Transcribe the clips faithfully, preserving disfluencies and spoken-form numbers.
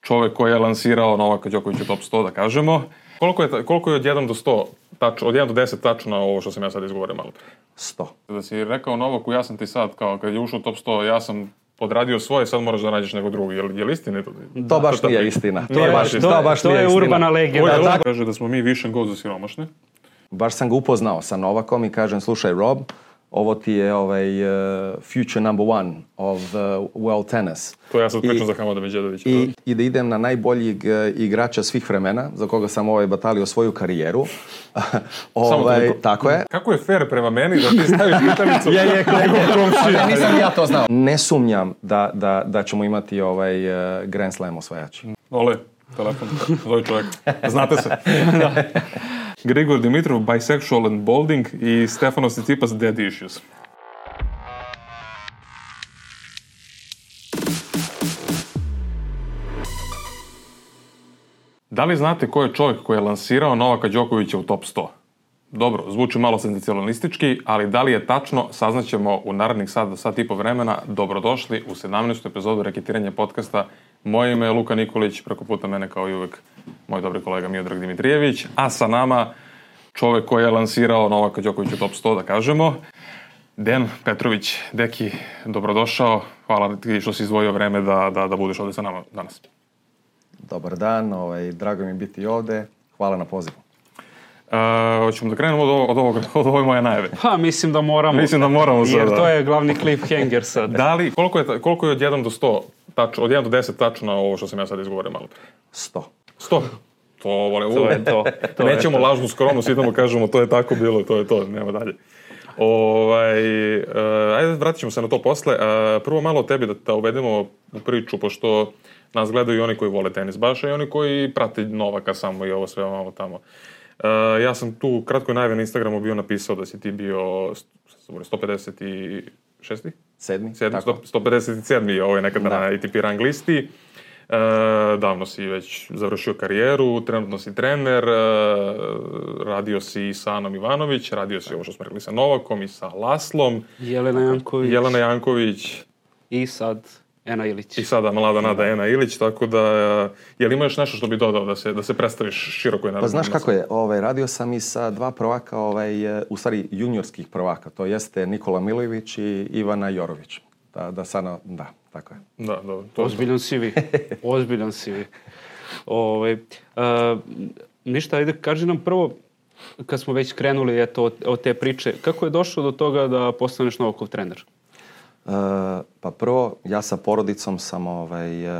čovek koji je lansirao Novaka Đokovića u top sto, da kažemo. Koliko je, koliko je od jedan do sto, tač, od jedan do deset tačno ovo što sam ja sad izgovorio malo? sto. Da si rekao Novaku, ja sam ti sad, kao kad je ušao u top sto, ja sam odradio svoje, sad moraš da nađeš nego drugi. Je li, je li istina to? To baš nije istina. To je baš istina. To, baš to nije je istina. urbana legenda. Da, kaže da smo mi vision go za siromašne. Baš sam ga upoznao sa Novakom i kažem, slušaj Rob, ovo ti je ovaj uh, future number one of uh, world tennis. To ja sad pričam I, za Hamada Medjedovića. I, I da idem na najboljeg uh, igrača svih vremena, za koga sam ovaj batalio svoju karijeru. ovaj, tako je. Kako je fair prema meni da ti staviš pitanicu? je, je, je, nisam ja to znao. Ne sumnjam da, da, da ćemo imati ovaj uh, Grand Slam osvajači. Ole, telefon, zove čovjek. Znate se. Da. Grigor Dimitrov, bisexual and balding i Stefanos Tsitsipas, dead issues. Da li znate ko je čovjek koji je lansirao Novaka Đokovića u top sto? Dobro, zvuči malo senzacionalistički, ali da li je tačno, saznaćemo u narednih sat do sat i po vremena. Dobrodošli u sedamnaestu epizodu Reketiranja podcasta. Moje ime je Luka Nikolić, preko puta mene kao i uvek moj dobri kolega Miodrag Dimitrijević, a sa nama čovjek koji je lansirao Novaka Đokovića u top sto, da kažemo, Dejan Petrović. Deki, dobrodošao. Hvala ti što si izdvojio vreme da, da, da budeš ovdje sa nama danas. Dobar dan, ovaj, drago mi je biti ovdje. Hvala na pozivu. Uh, hoćemo da krenemo od, ovog, od, ovog, od ove moje najave. Pa, mislim da moramo. Mislim da moramo sada. Jer to je glavni cliffhanger sad. Da li, koliko je, koliko je od jedan do sto, tač, od jedan do deset tačno ovo što sam ja sad izgovorio malo? sto. sto. To vole, to je to. to Nećemo je to. lažnu skromnost, idemo kažemo to je tako bilo, to je to, nema dalje. Ovaj, uh, ajde, vratit ćemo se na to posle. Uh, prvo malo o tebi da te uvedemo u priču, pošto nas gledaju i oni koji vole tenis baš, i oni koji prate Novaka samo i ovo sve malo tamo. Uh, ja sam tu kratko najave na Instagramu bio napisao da si ti bio sto pedeset šesti? Sedmi, Sedmi, tako. sto pedeset sedmi je ovo je nekada Da. na A T P rang listi. Uh, davno si već završio karijeru, trenutno si trener, uh, radio si sa Anom Ivanović, radio si ovo što smo rekli sa Novakom i sa Laslom. Jelena Janković. Jelena Janković. I sad Ena Ilić. I sada mlada nada Ena Ilić, tako da, je li ima još nešto što bi dodao da se, da se predstaviš široko i naravno? Pa znaš kako je, ovaj, radio sam i sa dva prvaka, ovaj, u stvari juniorskih prvaka, to jeste Nikola Milojević i Ivana Jorović. Da, da sada, da, tako je. Da, dobro. To... Ozbiljan si vi. Ozbiljan si vi. Ove, uh, ništa, ajde, kaži nam prvo, kad smo već krenuli eto, od, od te priče, kako je došlo do toga da postaneš Novakov trener? Uh, pa prvo, ja sa porodicom sam, ovaj, uh,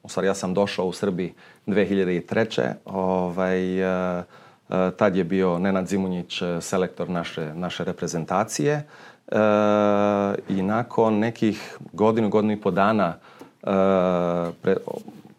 u stvari ja sam došao u Srbiji dve hiljade treće. Ovaj, uh, uh, tad je bio Nenad Zimunjić selektor naše, naše reprezentacije. Uh, I nakon nekih godinu, godinu i po dana uh, pre,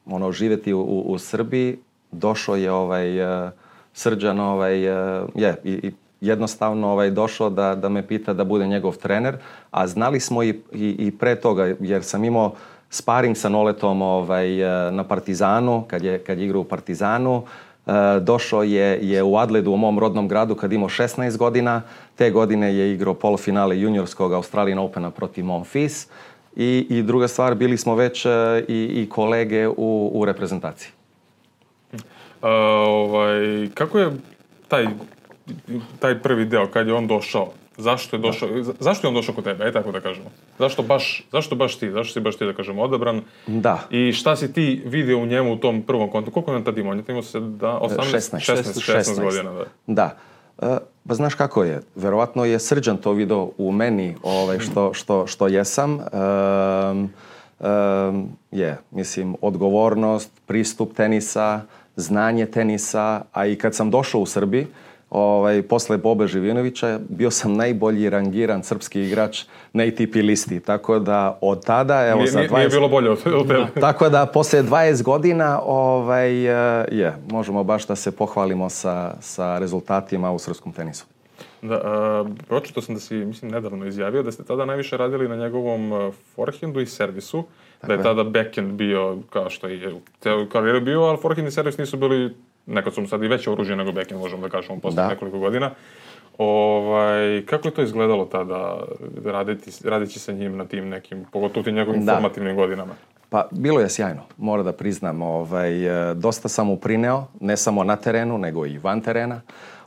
ono, živjeti u, u, u Srbiji, došao je ovaj, uh, Srđan ovaj, uh, je, i, i jednostavno ovaj, došao da, da me pita da bude njegov trener, a znali smo i, i, i pre toga, jer sam imao sparing sa Noletom ovaj, na Partizanu, kad je, kad je igrao u Partizanu. Uh, došao je, je u Adledu, u mom rodnom gradu, kad imao šesnaest godina. Te godine je igrao polufinale juniorskog Australian Opena protiv Monfils. I, I druga stvar, bili smo već uh, i, i kolege u, u reprezentaciji. Uh, ovaj, kako je taj, taj prvi deo, kad je on došao? Zašto je došao, da. zašto je on došao kod tebe, aj tako da kažemo? Zašto baš, zašto baš ti? Zašto si baš ti, da kažemo, odabran? Da. I šta si ti vidio u njemu u tom prvom kontaktu? Koliko je on tad imao? On je imao se da, osamnaest, šesnaest, šesnaest, šesnaest godina. Da. Da. Uh, pa znaš kako je? Verovatno je Srđan to video u meni, ovaj, što, što, što jesam. Um, um, je, mislim, odgovornost, pristup tenisa, znanje tenisa, a i kad sam došao u Srbiji, Ovaj, posle Bobe Živinovića, bio sam najbolji rangiran srpski igrač na A T P listi, tako da od tada, evo nije, za dvadeset... Nije bilo bolje od tebe. Tako da posle dvadeset godina, ovaj, je, možemo baš da se pohvalimo sa, sa rezultatima u srpskom tenisu. Da, uh, pročitao sam da si, mislim, nedavno izjavio da ste tada najviše radili na njegovom forehandu i servisu, tako da je, je tada backhand bio, kao što je u celoj karijeri bio, ali forehand i servis nisu bili, nekad su mu sad i veće oružje nego backhand, možemo da kažemo, posle da. nekoliko godina. Ovaj, kako je to izgledalo tada, raditi, radići sa njim na tim nekim, pogotovo tim njegovim da. formativnim godinama? Pa bilo je sjajno, moram da priznam. Ovaj, dosta sam uprineo, ne samo na terenu, nego i van terena.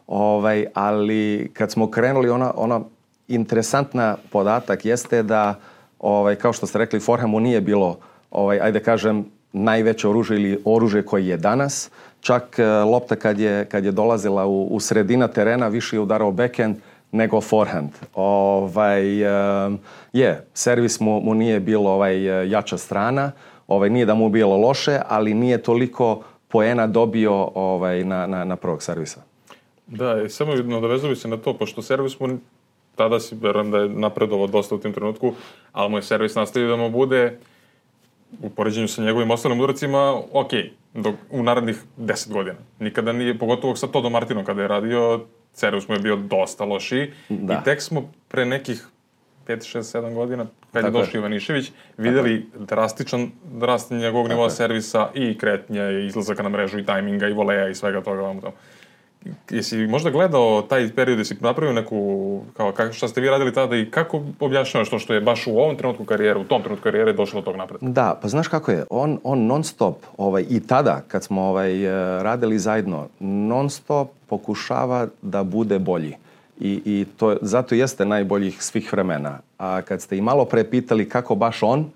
Ovaj, ali kad smo krenuli, ona, ona interesantna podatak jeste da, ovaj, kao što ste rekli, forehandu nije bilo, ovaj, ajde kažem, najveće oružje ili oružje koji je danas. Čak lopta kad je, kad je dolazila u, u sredina terena više je udarao backhand nego forehand. Ovaj, um, je, servis mu, mu nije bilo ovaj, jača strana, ovaj, nije da mu bilo loše, ali nije toliko poena dobio ovaj, na, na, na prvog servisa. Da, i samo nadovezuju se na to, pošto servis mu, tada si, verujem da je napredovao dosta u tim trenutku, ali mu je servis nastavio da mu bude, u poređenju sa njegovim ostalim udarcima, ok, dok, u narednih deset godina. Nikada nije, pogotovo sa Todom Martinom kada je radio, servis mu je bio dosta lošiji. Da. I tek smo pre nekih pet, šest, sedam godina, kad je došao Ivanišević, vidjeli drastičan rast njegovog nivoa servisa i kretnje, i izlazaka na mrežu, i tajminga, i voleja, i svega toga vam tamo. Jesi možda gledao taj period, jesi napravio neku, kao kako, šta ste vi radili tada i kako objašnjavaš to što je baš u ovom trenutku karijere, u tom trenutku karijere došlo do tog napredka? Da, pa znaš kako je, on, on non stop, ovaj, i tada kad smo ovaj, radili zajedno, non stop pokušava da bude bolji. I, i to zato jeste najboljih svih vremena. A kad ste i malo pre pitali kako baš on,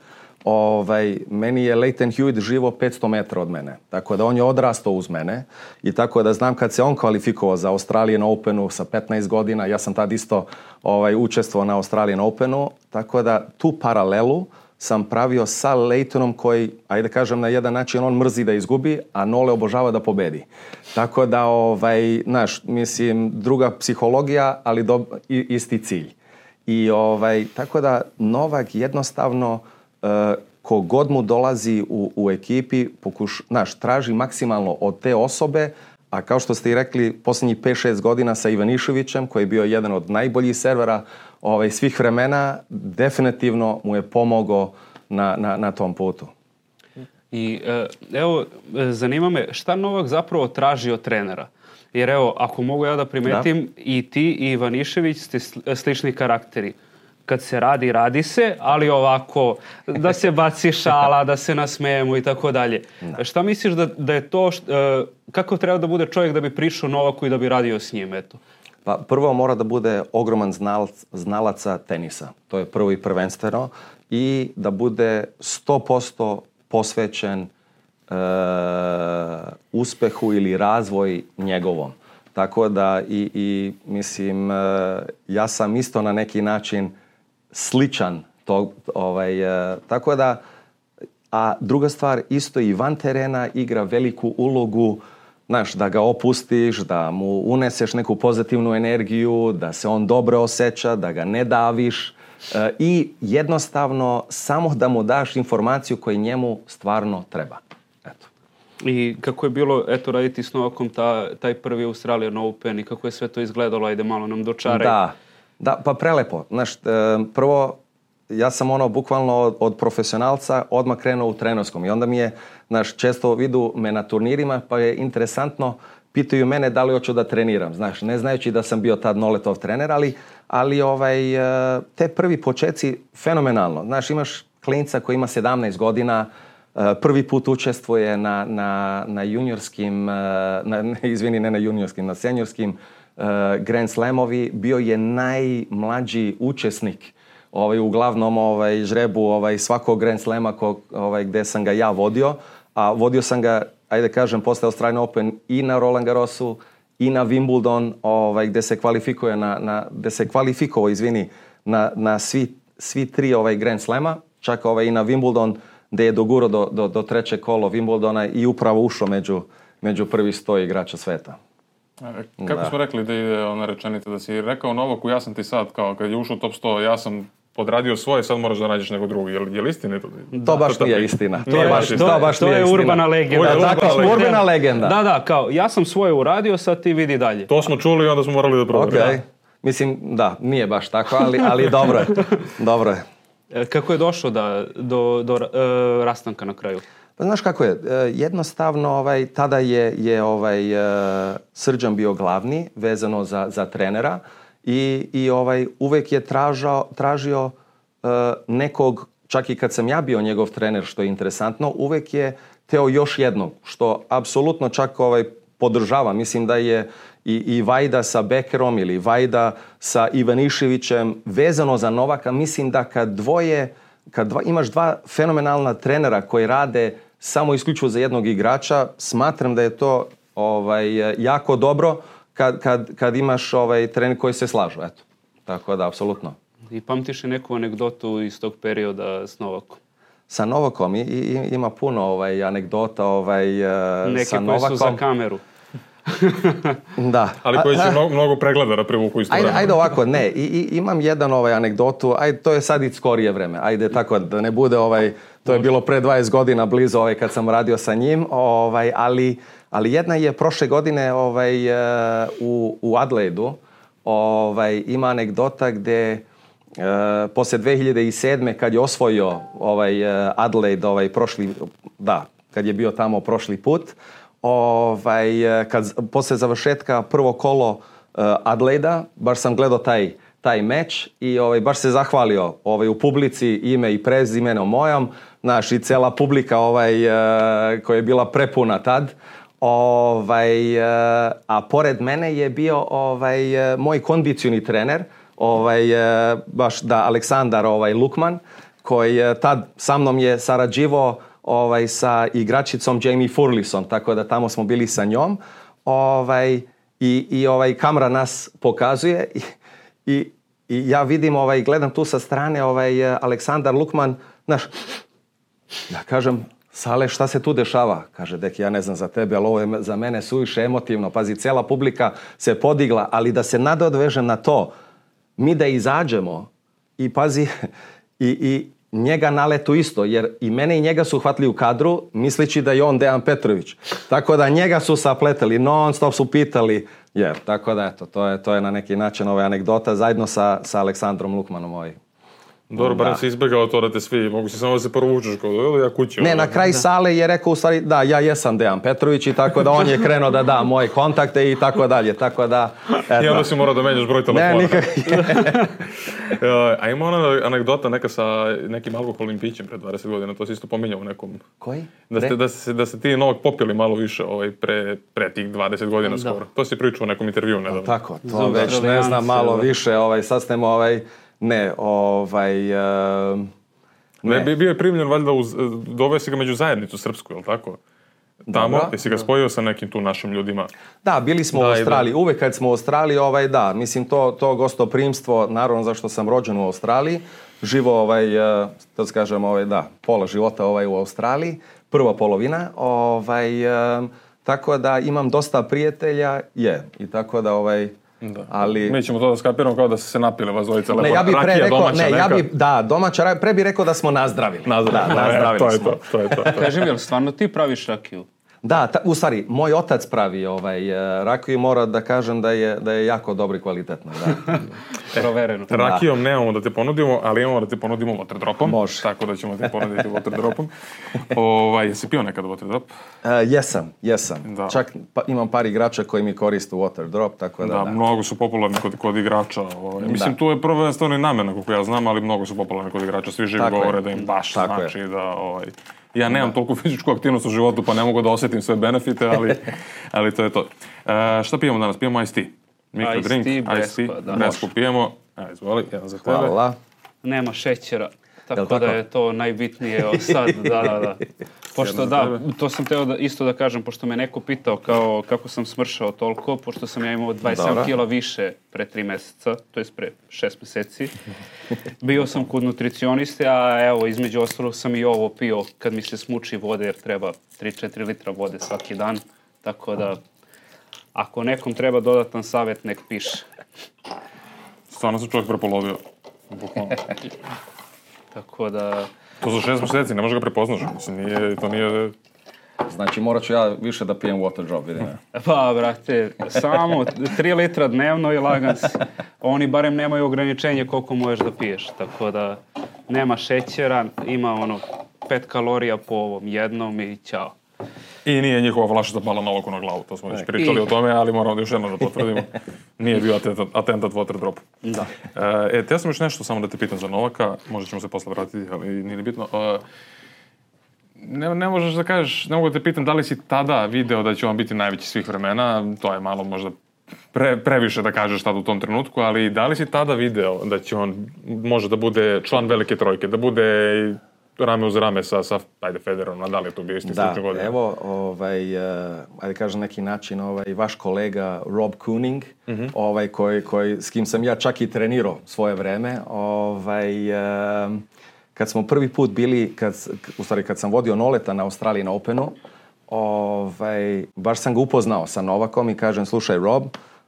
Ovaj, meni je Lleyton Hewitt živo petsto metara od mene. Tako da on je odrastao uz mene i tako da znam kad se on kvalifikovao za Australian Openu sa petnaest godina, ja sam tad isto ovaj, učestvovao na Australian Openu, tako da tu paralelu sam pravio sa Lleytonom koji, ajde kažem na jedan način, on mrzi da izgubi, a Nole obožava da pobedi. Tako da, ovaj, znaš, mislim, druga psihologija, ali do, isti cilj. I ovaj, tako da Novak jednostavno Uh, kogod mu dolazi u, u ekipi, pokuš, naš, traži maksimalno od te osobe, a kao što ste i rekli, posljednjih pet šest godina sa Ivaniševićem, koji je bio jedan od najboljih servera ovaj, svih vremena, definitivno mu je pomogao na, na, na tom putu. I evo, zanima me, šta Novak zapravo traži od trenera? Jer evo, ako mogu ja da primetim, da. I ti i Ivanišević ste slični karakteri. Kad se radi, radi se, ali ovako, da se baci šala, da se nasmejemo i tako dalje. Šta misliš da, da je to, št, uh, kako treba da bude čovjek da bi prišao Novaku i da bi radio s njim, eto? Pa prvo mora da bude ogroman znalac, znalaca tenisa. To je prvo i prvenstveno. I da bude sto posto posvećen uh, uspehu ili razvoj njegovom. Tako da i, i mislim, uh, ja sam isto na neki način sličan to, ovaj, e, tako da, a druga stvar, isto i van terena igra veliku ulogu, znaš, da ga opustiš, da mu uneseš neku pozitivnu energiju, da se on dobro osjeća, da ga ne daviš e, i jednostavno samo da mu daš informaciju koju njemu stvarno treba. Eto. I kako je bilo, eto, raditi s Novakom ta, taj prvi Australian Open i kako je sve to izgledalo, ajde malo nam dočaraj. Da. Da, pa prelepo. Znaš, prvo, ja sam ono bukvalno od, od profesionalca odmah krenuo u trenerskom i onda mi je, znaš, često vidu me na turnirima pa je interesantno, pitaju mene da li hoću da treniram, znaš, ne znajući da sam bio tad Noletov trener, ali, ali ovaj, te prvi počeci fenomenalno. Znaš, imaš klinca koji ima sedamnaest godina, prvi put učestvuje na, na, na juniorskim, na, izvini, ne na juniorskim, na seniorskim Uh, Grand Slamovi, bio je najmlađi učesnik ovaj, uglavnom ovaj, žrebu ovaj, svakog Grand Slama ko, ovaj, gde sam ga ja vodio, a vodio sam ga, ajde kažem, posle Australian Open i na Roland Garrosu i na Wimbledon, ovaj, gde se kvalifikuje na, na, gde se kvalifikovao, izvini, na, na svi, svi tri ovaj, Grand Slama, čak ovaj, i na Wimbledon gde je dogurao do, do, do treće kolo Wimbledona i upravo ušao među, među prvi sto igrača sveta. Kako da. Smo rekli da ide ona rečenica, da si rekao Novaku, ja sam ti sad, kao kad je ušao u top sto, ja sam odradio svoje, sad moraš da nađeš nego drugi. Je li, je li istina to? Da, to baš to nije istina. To, nije je, baš, to, to, baš to nije je istina. urbana legenda. Da, tako, urbana, urbana legenda. Da, da, kao ja sam svoje uradio, sad ti vidi dalje. To smo čuli i onda smo morali da provjerimo. Okay. Mislim, da, nije baš tako, ali, ali dobro je. Dobro je. Kako je došlo da, do, do uh, rastanka na kraju? Pa znaš kako je, jednostavno ovaj, tada je, je ovaj, Srđan bio glavni vezano za, za trenera i, i ovaj, uvek je tražao, tražio uh, nekog čak i kad sam ja bio njegov trener, što je interesantno, uvek je teo još jednog, što apsolutno čak ovaj, podržava. Mislim da je i, i Vajda sa Bekerom ili Vajda sa Ivaniševićem vezano za Novaka. Mislim da kad dvoje, kad dva, imaš dva fenomenalna trenera koji rade samo isključivo za jednog igrača, smatram da je to ovaj, jako dobro kad, kad, kad imaš ovaj, trener koji se slažu. Eto. Tako da, apsolutno. I pamtiš li neku anegdotu iz tog perioda s Novakom? Sa Novakom i, i, ima puno ovaj, anegdota ovaj, neke sa Novakom. Neke koje su za kameru. Da. Ali koji će mnogo, mnogo pregleda da privuku isto ajde, vremena. ajde ovako, ne, I, i, imam jedan ovaj anegdotu, ajde, to je sad i skorije vreme, ajde tako da ne bude ovaj, to je bilo pre dvadeset godina blizu ovaj, kad sam radio sa njim, ovaj, ali, ali jedna je prošle godine ovaj, u, u Adelaidu, ovaj, ima anegdota gde Uh, posle dve hiljade sedme kad je osvojio ovaj uh, Adelaide ovaj prošli da kad je bio tamo prošli put ovaj uh, kad posle završetka prvo kolo uh, Adelaida baš sam gledao taj taj meč i ovaj baš se zahvalio ovaj u publici ime i prezimeno mojom, znaš, i cela publika ovaj uh, koja je bila prepuna tad. Ovaj uh, a pored mene je bio ovaj uh, moj kondicioni trener, ovaj baš da Aleksandar ovaj Lukman, koji tad sa mnom je sarađivao ovaj sa igračicom Jamie Furlison, tako da tamo smo bili sa njom. Ovaj i i ovaj kamera nas pokazuje i, i, i ja vidim ovaj gledam tu sa strane ovaj Aleksandar Lukman, znaš, ja kažem Sale, šta se tu dešava? Kaže, deki, ja ne znam za tebe, ali ovo je za mene suviše emotivno. Pazi, cela publika se podigla, ali da se nadovežem na to, mi da izađemo i pazi i, i njega naletu isto, jer i mene i njega su hvatili u kadru misleći da je on Dejan Petrović. Tako da njega su sapletali, non stop su pitali, jer tako da eto, to je, to je na neki način ova anegdota zajedno sa, sa Aleksandrom Lukmanom. Ovaj. Dobro, barem si izbjegao to da te svi, mogu si samo da se provučeš kao ili ja kući. Ne, na kraj sale je rekao u stvari, da, ja jesam Dejan Petrović i tako da on je krenuo da da moje kontakte i tako dalje, tako da... Eto. I onda si morao da menjaš broj telefona. Ne, nikak... A ima ona anegdota neka sa nekim alkoholnim pićem pre dvadeset godina, to si isto pominjao u nekom... Koji? Da ste, da ste, da ste ti Novak popili malo više ovaj, pre, pre tih dvadeset godina skoro. Da. To si pričao u nekom intervju nedavno. Tako, to već ne znam malo više, ovaj, sad ste mu ovaj... Ne, ovaj... Uh, ne. ne, bio je primljen valjda, uz, doveo si ga među zajednicu srpsku, je li tako? Tamo, Dobra. Jesi ga spojio sa nekim tu našim ljudima? Da, bili smo da, u Australiji. Da. Uvek kad smo u Australiji, ovaj, da, mislim, to, to gostoprimstvo, naravno zašto sam rođen u Australiji, živo, ovaj, da kažem, ovaj, da, pola života ovaj, u Australiji, prva polovina, ovaj, um, tako da imam dosta prijatelja, je, i tako da, ovaj, da. Ali... Mi ćemo to da skapiramo kao da se se napili vas dvojica. Ne, ja bi pre rekao, ne, ja bi, da, domaća, pre bi rekao da smo nazdravili. Nazdravili, da, nazdravili to je smo. to, to je to. Kaži mi, jel stvarno ti praviš rakiju? Da, ta, u stvari, moj otac pravi ovaj, rakiju i mora da kažem da je, da je jako dobro i kvalitetno. Da. Provereno. E, rakijom nemamo da te ponudimo, ali imamo da te ponudimo waterdropom. Može. Tako da ćemo te ponuditi waterdropom. Ovaj, jesi pio nekad waterdrop? Uh, jesam, jesam. Da. Čak pa, imam par igrača koji mi koriste waterdrop, tako da... Da, da. mnogo su popularni kod, kod igrača. Ovaj. Mislim, da. Tu je prvenstveno i namena, kako ja znam, ali mnogo su popularni kod igrača. Svi živi govore da im baš tako znači je. Da... Ovaj, ja nemam da. Toliko fizičku aktivnost u životu, pa ne mogu da osjetim sve benefite, ali, ali to je to. Uh, šta pijemo danas? Pijemo iced tea. Mikro drink, iced tea, bresku pijemo. Evo, izvoli, jedan za tebe. Hvala. Nema šećera, tako, tako da je to najbitnije sad, da, da, da. Pošto da, to sam teo da, isto da kažem, pošto me neko pitao kao, kako sam smršao toliko, pošto sam ja imao dvadeset sedam kila više pre tri meseca, to je pre šest meseci. Bio sam kod nutricioniste, a evo, između ostalog sam i ovo pio kad mi se smuči vode, jer treba tri do četiri litra vode svaki dan. Tako da, ako nekom treba dodatan savjet, nek piše. Stvarno sam čovjek prepolovio. Bukvalno. Tako da... To za šest mjeseci, ne može ga prepoznaš. Mislim, nije, to nije... Znači, morat ću ja više da pijem waterdrop, vidim. Pa, brate, samo tri litra dnevno i lagan si. Oni barem nemaju ograničenje koliko možeš da piješ. Tako da, nema šećera, ima ono pet kalorija po ovom jednom i ćao. I nije njihova flašica pala Novaku na glavu, to smo već pričali I... o tome, ali moramo da još jedno da potvrdimo. Nije bio atentat, atentat water drop. Da. E, te ja sam još nešto samo da te pitam za Novaka, možda ćemo se posle vratiti, ali nije bitno. E, ne, ne možeš da kažeš, ne mogu da te pitam da li si tada video da će on biti najveći svih vremena, to je malo možda pre, previše da kažeš tada u tom trenutku, ali da li si tada video da će on može da bude član velike trojke, da bude rame uz rame sa, sa ajde, Federerom, a da li je to bio isti slični godina? Da, evo, ovaj, uh, ajde kažem neki način, ovaj, vaš kolega Rob Kooning, mm-hmm. ovaj, koji, koji, s kim sam ja čak i trenirao svoje vreme, ovaj, uh, kad smo prvi put bili, kad, u stvari kad sam vodio Noleta na Australian Openu, ovaj, baš sam ga upoznao sa Novakom i kažem, slušaj Rob,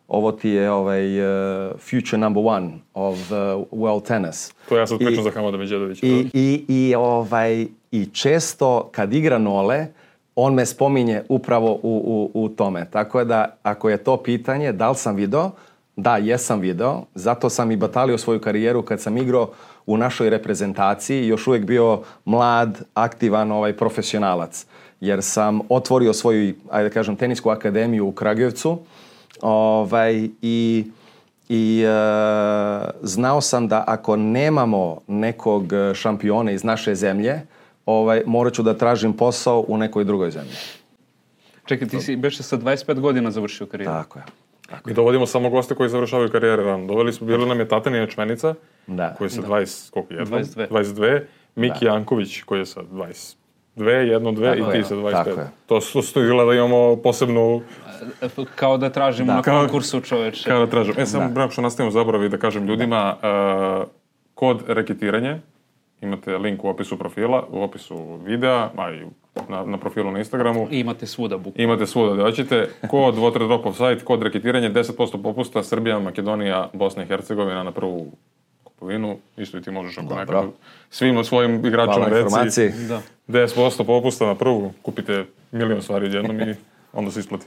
ovo ti je ovaj, uh, future number one of uh, world tennis. To ja sad pričam za Hamada Medjedovića. I, i, i, ovaj, I često kad igra Nole, on me spominje upravo u, u, u tome. Tako da, ako je to pitanje, da li sam video? Da, jesam video. Zato sam i batalio svoju karijeru kad sam igrao u našoj reprezentaciji. Još uvijek bio mlad, aktivan ovaj, profesionalac. Jer sam otvorio svoju, ajde kažem, tenisku akademiju u Kragujevcu. Ovaj, i i e, znao sam da ako nemamo nekog šampiona iz naše zemlje, ovaj, morat ću da tražim posao u nekoj drugoj zemlji. Čekaj, ti si beše sa dvadeset pet godina završio karijeru. Tako je. Tako Mi dovodimo samo goste koji završavaju karijere rano. Doveli smo, bili nam je Tatjana Ječmenica, da. koji je sa dvadeset, koliko je? dvadeset dve. dvadeset dve. Miki da. Janković, koji je sa dvadeset dve, jedno, dve tako i ti sa dvadeset pet. To su stojila da imamo posebnu... Kao da tražimo da. na konkursu čoveče. Kao da tražimo. E, samo brak što nastavimo zaboravi da kažem ljudima, uh, kod reketiranje, imate link u opisu profila, u opisu videa, a i na, na profilu na Instagramu. I imate svuda buku. Imate svuda da hoćete. Kod Water Drop Offside, kod reketiranje, deset posto popusta, Srbija, Makedonija, Bosna i Hercegovina na prvu kupovinu. Isto i ti možeš ako nekako svim svojim igračima reci. Da. deset posto popusta na prvu, kupite milion stvari jednom i onda se isplati.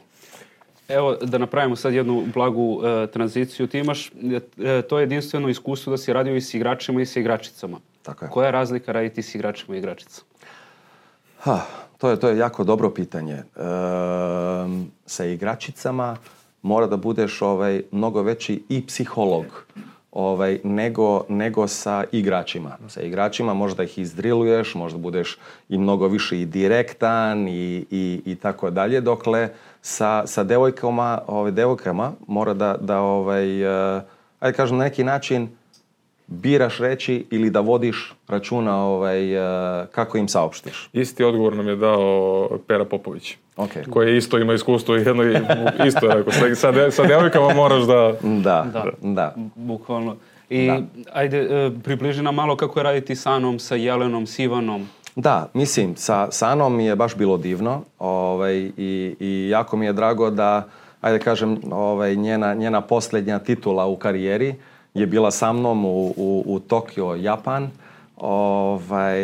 Evo, da napravimo sad jednu blagu uh, tranziciju. Ti imaš uh, to jedinstveno iskustvo da si radio i s igračima i s igračicama. Tako je. Koja je razlika raditi s igračima i igračicama? Ha, to je, to je jako dobro pitanje. E, sa igračicama mora da budeš ovaj, mnogo veći i psiholog ovaj, nego, nego sa igračima. Sa igračima možda ih izdriluješ, možda budeš i mnogo više i direktan i, i, i tako dalje, dokle sa, sa devojkama, ovaj, devojkama mora da, da ovaj, uh, ajde kažem, na neki način biraš reći ili da vodiš računa ovaj, uh, kako im saopštiš. Isti odgovor nam je dao Pera Popović. Okay. Koji isto ima iskustvo i jedno isto je rekao. Sa, de, sa devojkama moraš da... Da, da. da. Bukvalno. I da. ajde, približi nam malo kako je raditi sa Anom, sa Jelenom, s Ivanom. Da, mislim, sa, sa Anom mi je baš bilo divno ovaj, i, i jako mi je drago da, ajde kažem, ovaj, njena, njena posljednja titula u karijeri je bila sa mnom u, u, u Tokio, Japan. Ovaj,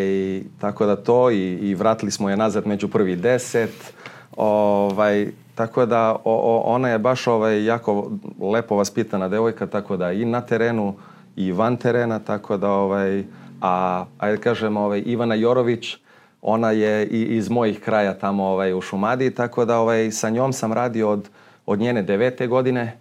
tako da to i, i vratili smo je nazad među prvi deset. Ovaj, tako da o, o, ona je baš ovaj, jako lepo vaspitana devojka, tako da i na terenu i van terena, tako da ovaj, a ajde kažem ovaj, Ivana Jorović, ona je i, iz mojih kraja tamo ovaj, u Šumadiji, tako da ovaj, sa njom sam radio od, od njene devete godine.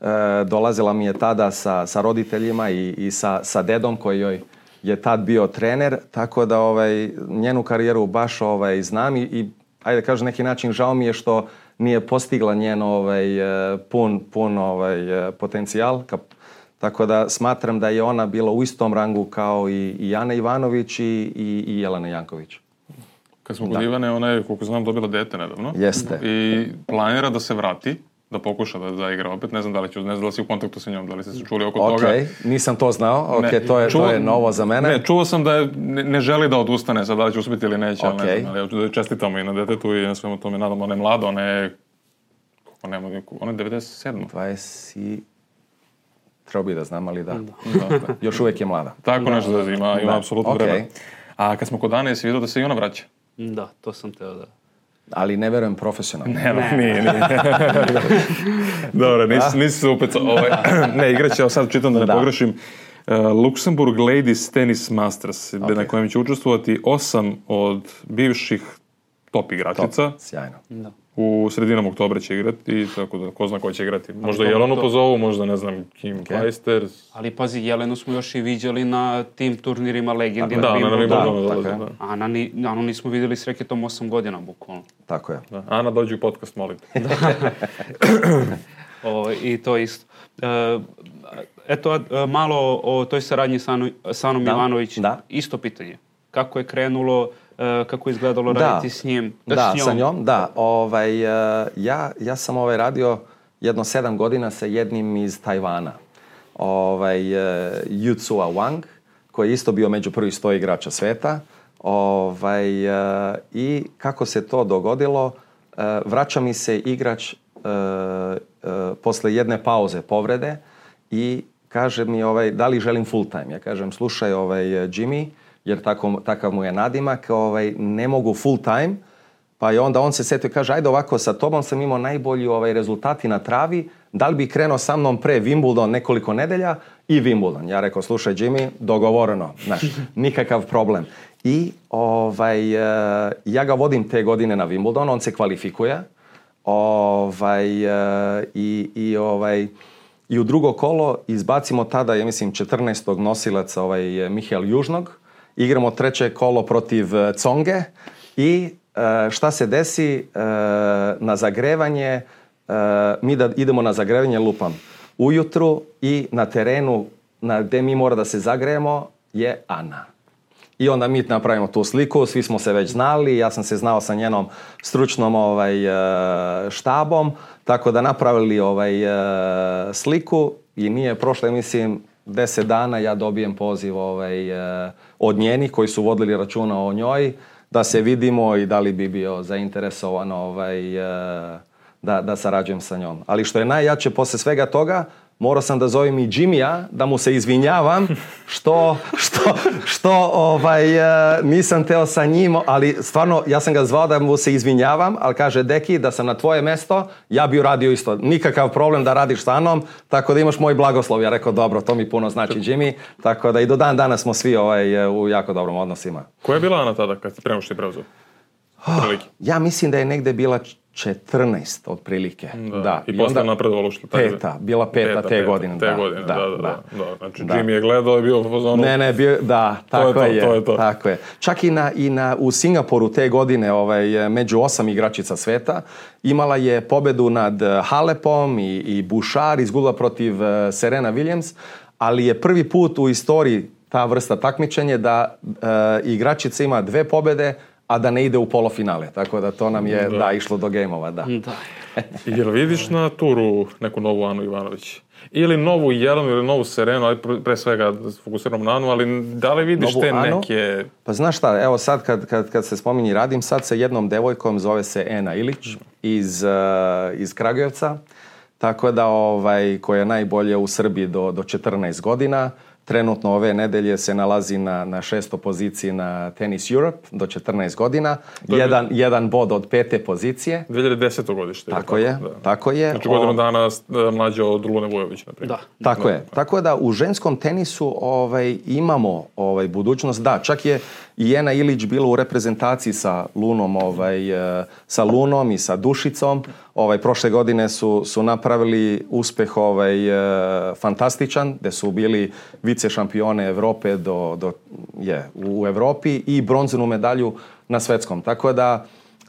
E, dolazila mi je tada sa, sa roditeljima i, i sa, sa dedom koji joj je tad bio trener, tako da ovaj, njenu karijeru baš ovaj, znam i, i ajde kažem neki način žao mi je što nije postigla njen ovaj, pun, pun ovaj, potencijal. Tako da smatram da je ona bila u istom rangu kao i, i Ana Ivanović i, i, i Jelena Janković. Kad smo kod Ivane, ona je, koliko znam, dobila dete nedavno. Jeste. I planira da se vrati, da pokuša da, da igra opet. Ne znam da li, ću, ne znam da li si u kontaktu sa njom, da li ste se čuli oko okay. toga. Ok, nisam to znao. Ok, ne, to, je, čuo, to je novo za mene. Ne, čuo sam da je, ne, ne želi da odustane sad, da li će uspjeti ili neće, okay. ali ne znam. Ali ja čestitamo i na detetu i na svemu tome. Nadam, ona je mlada, ona je... Ona je, ona je devedeset sedam. dvadeset Treba bi da znam, ali da. da. da. Još uvijek je mlada. Tako nešto da ima, ima apsolutno okay. vremena. A kad smo kod Ane, jesi vidio da se i ona vraća? Da, to sam teo da... Ali ne verujem profesionalno. Ne, ne, nije, nije. Dobro, nisi, nisi se upecao. Ovaj, ne, igraće, evo sad čitam da ne da. pogrešim. Uh, Luxembourg Ladies Tennis Masters, okay. na kojem će učestvovati osam od bivših top igračica. Top, sjajno. Da. U sredinom oktobra će igrati, tako da ko zna ko će igrati. Možda to- Jelenu to- pozovu, možda ne znam, Kim Okay. Clijsters. Ali pazi, Jelenu smo još i viđali na tim turnirima Legendi Da, na na Wimbledonu. Wimbledonu Da, dolaze, tako je. da. Ana, ni, Anu nismo vidjeli s reketom osam godina, bukvalno. Tako je. Da. Ana, dođi u podcast, molim. O, I to isto. E, eto, a, malo o toj saradnji sa Anu- sa Anom Da, Ivanović. da. Isto pitanje. Kako je krenulo, e, kako je izgledalo Da. raditi s njim? Da, s sa njom, da. Ovaj, e, ja, ja sam ovaj radio jedno sedam godina sa jednim iz Tajvana. Ovaj, e, Yu Tsua Wang, koji je isto bio među prvih sto igrača sveta. Ovaj, e, I kako se to dogodilo, e, vraća mi se igrač e, e, posle jedne pauze povrede i kaže mi ovaj, da li želim full time. Ja kažem, slušaj ovaj, Jimmy, jer tako, takav mu je nadimak, ovaj, ne mogu full time, pa je onda on se setio i kaže, ajde ovako, sa tobom sam imao najbolji ovaj, rezultati na travi, da li bi krenuo sa mnom pre Wimbledon nekoliko nedelja i Wimbledon. Ja rekao, slušaj Jimmy, dogovoreno, znaš, nikakav problem. I ovaj, e, ja ga vodim te godine na Wimbledon, on se kvalifikuje, ovaj, e, i, i, ovaj, i u drugo kolo izbacimo tada, ja mislim, četrnaestog nosilaca ovaj, Mihael Južnog, igramo treće kolo protiv e, Conge i e, šta se desi e, na zagrevanje, e, mi da idemo na zagrevanje, lupam, ujutru i na terenu na gde mi mora da se zagrejemo je Ana. I onda mi napravimo tu sliku, svi smo se već znali, ja sam se znao sa njenom stručnom ovaj, e, štabom, tako da napravili ovaj, e, sliku i nije prošlo, mislim, deset dana ja dobijem poziv ovaj, e, od njenih koji su vodili računa o njoj, da se vidimo i da li bi bio zainteresovan ovaj, e, da, da sarađujem sa njom. Ali što je najjače posle svega toga, morao sam da zovem i Jimmya, da mu se izvinjavam što, što, što ovaj, e, nisam teo sa njim, ali stvarno ja sam ga zvao da mu se izvinjavam, ali kaže, deki, da sam na tvoje mesto, ja bi uradio isto. Nikakav problem da radiš sa mnom, tako da imaš moj blagoslov. Ja rekao, dobro, to mi puno znači Jimmy, tako da i do dan danas smo svi ovaj, u jako dobrom odnosima. Koja je bila Ana tada kad ste prema što je preuzeo? Prilike. Ja mislim da je negde bila četrnaest otprilike. Da. Da. I, I posle napredovala što taj... Peta, bila peta, peta te peta, godine. Te da, godine, da, da, da. da. da. Znači, Da. Jimmy je gledao i bio u fazonu... Ne, ne, bio, da, tako to je to, je, to je to. tako je. Čak i, na, i na, u Singapuru te godine, ovaj, među osam igračica sveta, imala je pobedu nad Halepom i, i Bouchard, izgubila protiv Serena Williams, ali je prvi put u istoriji ta vrsta takmičenja da e, igračica ima dve pobede, a da ne ide u polofinale. Tako da to nam je Da. da, išlo do gejmova, da. Da. Jel vidiš na turu neku novu Anu Ivanović? Ili novu Jelenu ili novu Serenu, ali pre pre svega fokusiramo na Anu, ali da li vidiš Novu te Anu? neke... Pa znaš šta, evo sad kad, kad, kad se spominji, radim sad sa jednom devojkom, zove se Ena Ilić iz, uh, iz Kragujevca, tako da ovaj, koja je najbolje u Srbiji do, do četrnaest godina. Trenutno ove nedelje se nalazi na, na šestoj poziciji na Tennis Europe do četrnaest godina. je- Jedan, jedan bod od pete pozicije. dve hiljade desete. godište. Tako je, Da. tako je. Znači godinu O- dana e, mlađa od Lune Vujović, na primjer. Da. Tako je. Tako da u ženskom tenisu ovaj, imamo ovaj, budućnost. Da, čak je i Ena Ilić bila u reprezentaciji sa Lunom, ovaj, e, sa Lunom i sa Dušicom. Ovaj, prošle godine su, su napravili uspeh ovaj, e, fantastičan, gde su bili vice šampione Evrope do, do, je, u Evropi i bronzanu medalju na svetskom. Tako da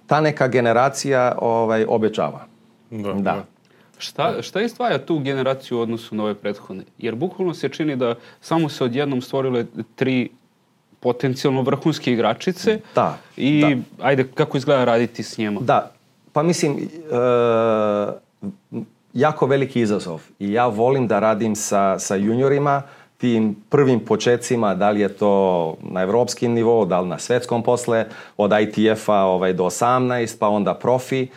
ta neka generacija ovaj, obećava. Da, Da. da. Šta, šta izdvaja tu generaciju u odnosu na ove prethodne? Jer bukvalno se čini da samo se odjednom stvorile tri potencijalno vrhunske igračice Da, i da. ajde, kako izgleda raditi s njima? Da, pa mislim, e, jako veliki izazov. I ja volim da radim sa, sa juniorima, tim prvim počecima, da li je to na evropskim nivou, da li na svetskom posle, od I T F-a ovaj, do osamnaest, pa onda profi. E,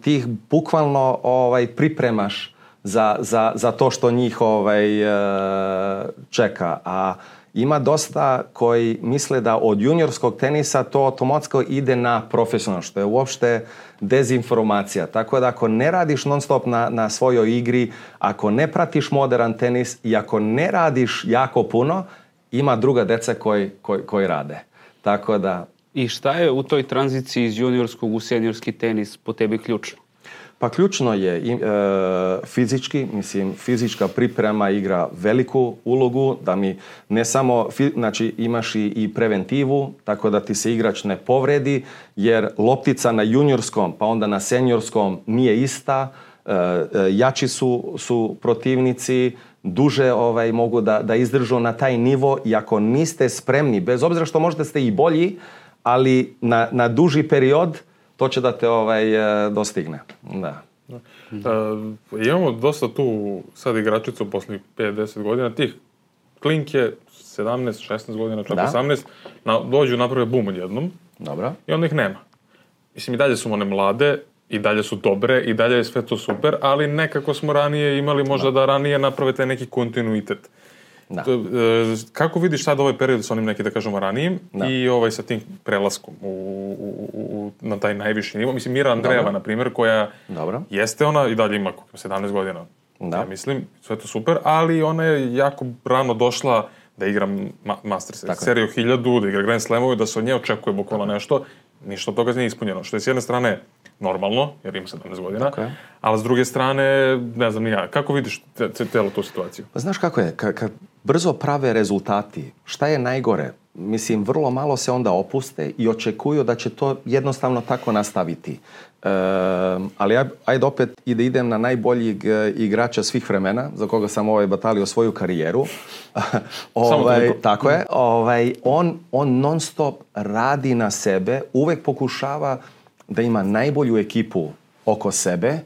ti ih bukvalno ovaj, pripremaš za, za, za to što njih ovaj, e, čeka. A ima dosta koji misle da od juniorskog tenisa to automatski ide na profesionalno, što je uopšte dezinformacija. Tako da ako ne radiš non stop na, na svojoj igri, ako ne pratiš modern tenis i ako ne radiš jako puno, ima druga deca koji, koji, koji rade. Tako da I šta je u toj tranziciji iz juniorskog u seniorski tenis po tebi ključno? Pa ključno je e, fizički, mislim, fizička priprema igra veliku ulogu, da mi ne samo, znači imaš i, i preventivu, tako da ti se igrač ne povredi, jer loptica na juniorskom pa onda na seniorskom nije ista, e, e, jači su, su protivnici, duže ovaj, mogu da, da izdržu na taj nivo i ako niste spremni, bez obzira što možda ste i bolji, ali na, na duži period to će da te ovaj, dostigne. Da. Da. Uh, imamo dosta tu sad igračicu posle pet do deset godina, tih klinke sedamnaest šesnaest godina, čak da. osamnaest, na, dođu naprave bum odjednom. Dobro. I onda ih nema. Mislim, i dalje su one mlade, i dalje su dobre, i dalje je sve to super, ali nekako smo ranije imali možda da, da ranije naprave taj neki kontinuitet. Da. Kako vidiš sad ovaj period sa onim neki, da kažemo, ranijim da. I ovaj sa tim prelaskom u, u, u, na taj najviši nivo? Mislim, Mira Andreeva, na primjer, koja Dobro. Jeste ona i dalje ima sedamnaest godina, da. Ja mislim, sve to super, ali ona je jako rano došla da igra ma- Masters seriju hiljadu, da igra Grand Slamove, da se od nje očekuje bukvalno nešto, ništa od toga nije ispunjeno, što je s jedne strane normalno, jer ima sedamnaest godina, okay. Ali s druge strane, ne znam ni ja, kako vidiš celu tu situaciju? Pa znaš kako je, kad, kad brzo prave rezultati, šta je najgore? Mislim, vrlo malo se onda opuste i očekuju da će to jednostavno tako nastaviti. E, ali aj, ajde opet i da idem na najboljeg igrača svih vremena, za koga sam ovaj batalio svoju karijeru. ovaj, tako je. Ovaj, on, on non stop radi na sebe, uvek pokušava da ima najbolju ekipu oko sebe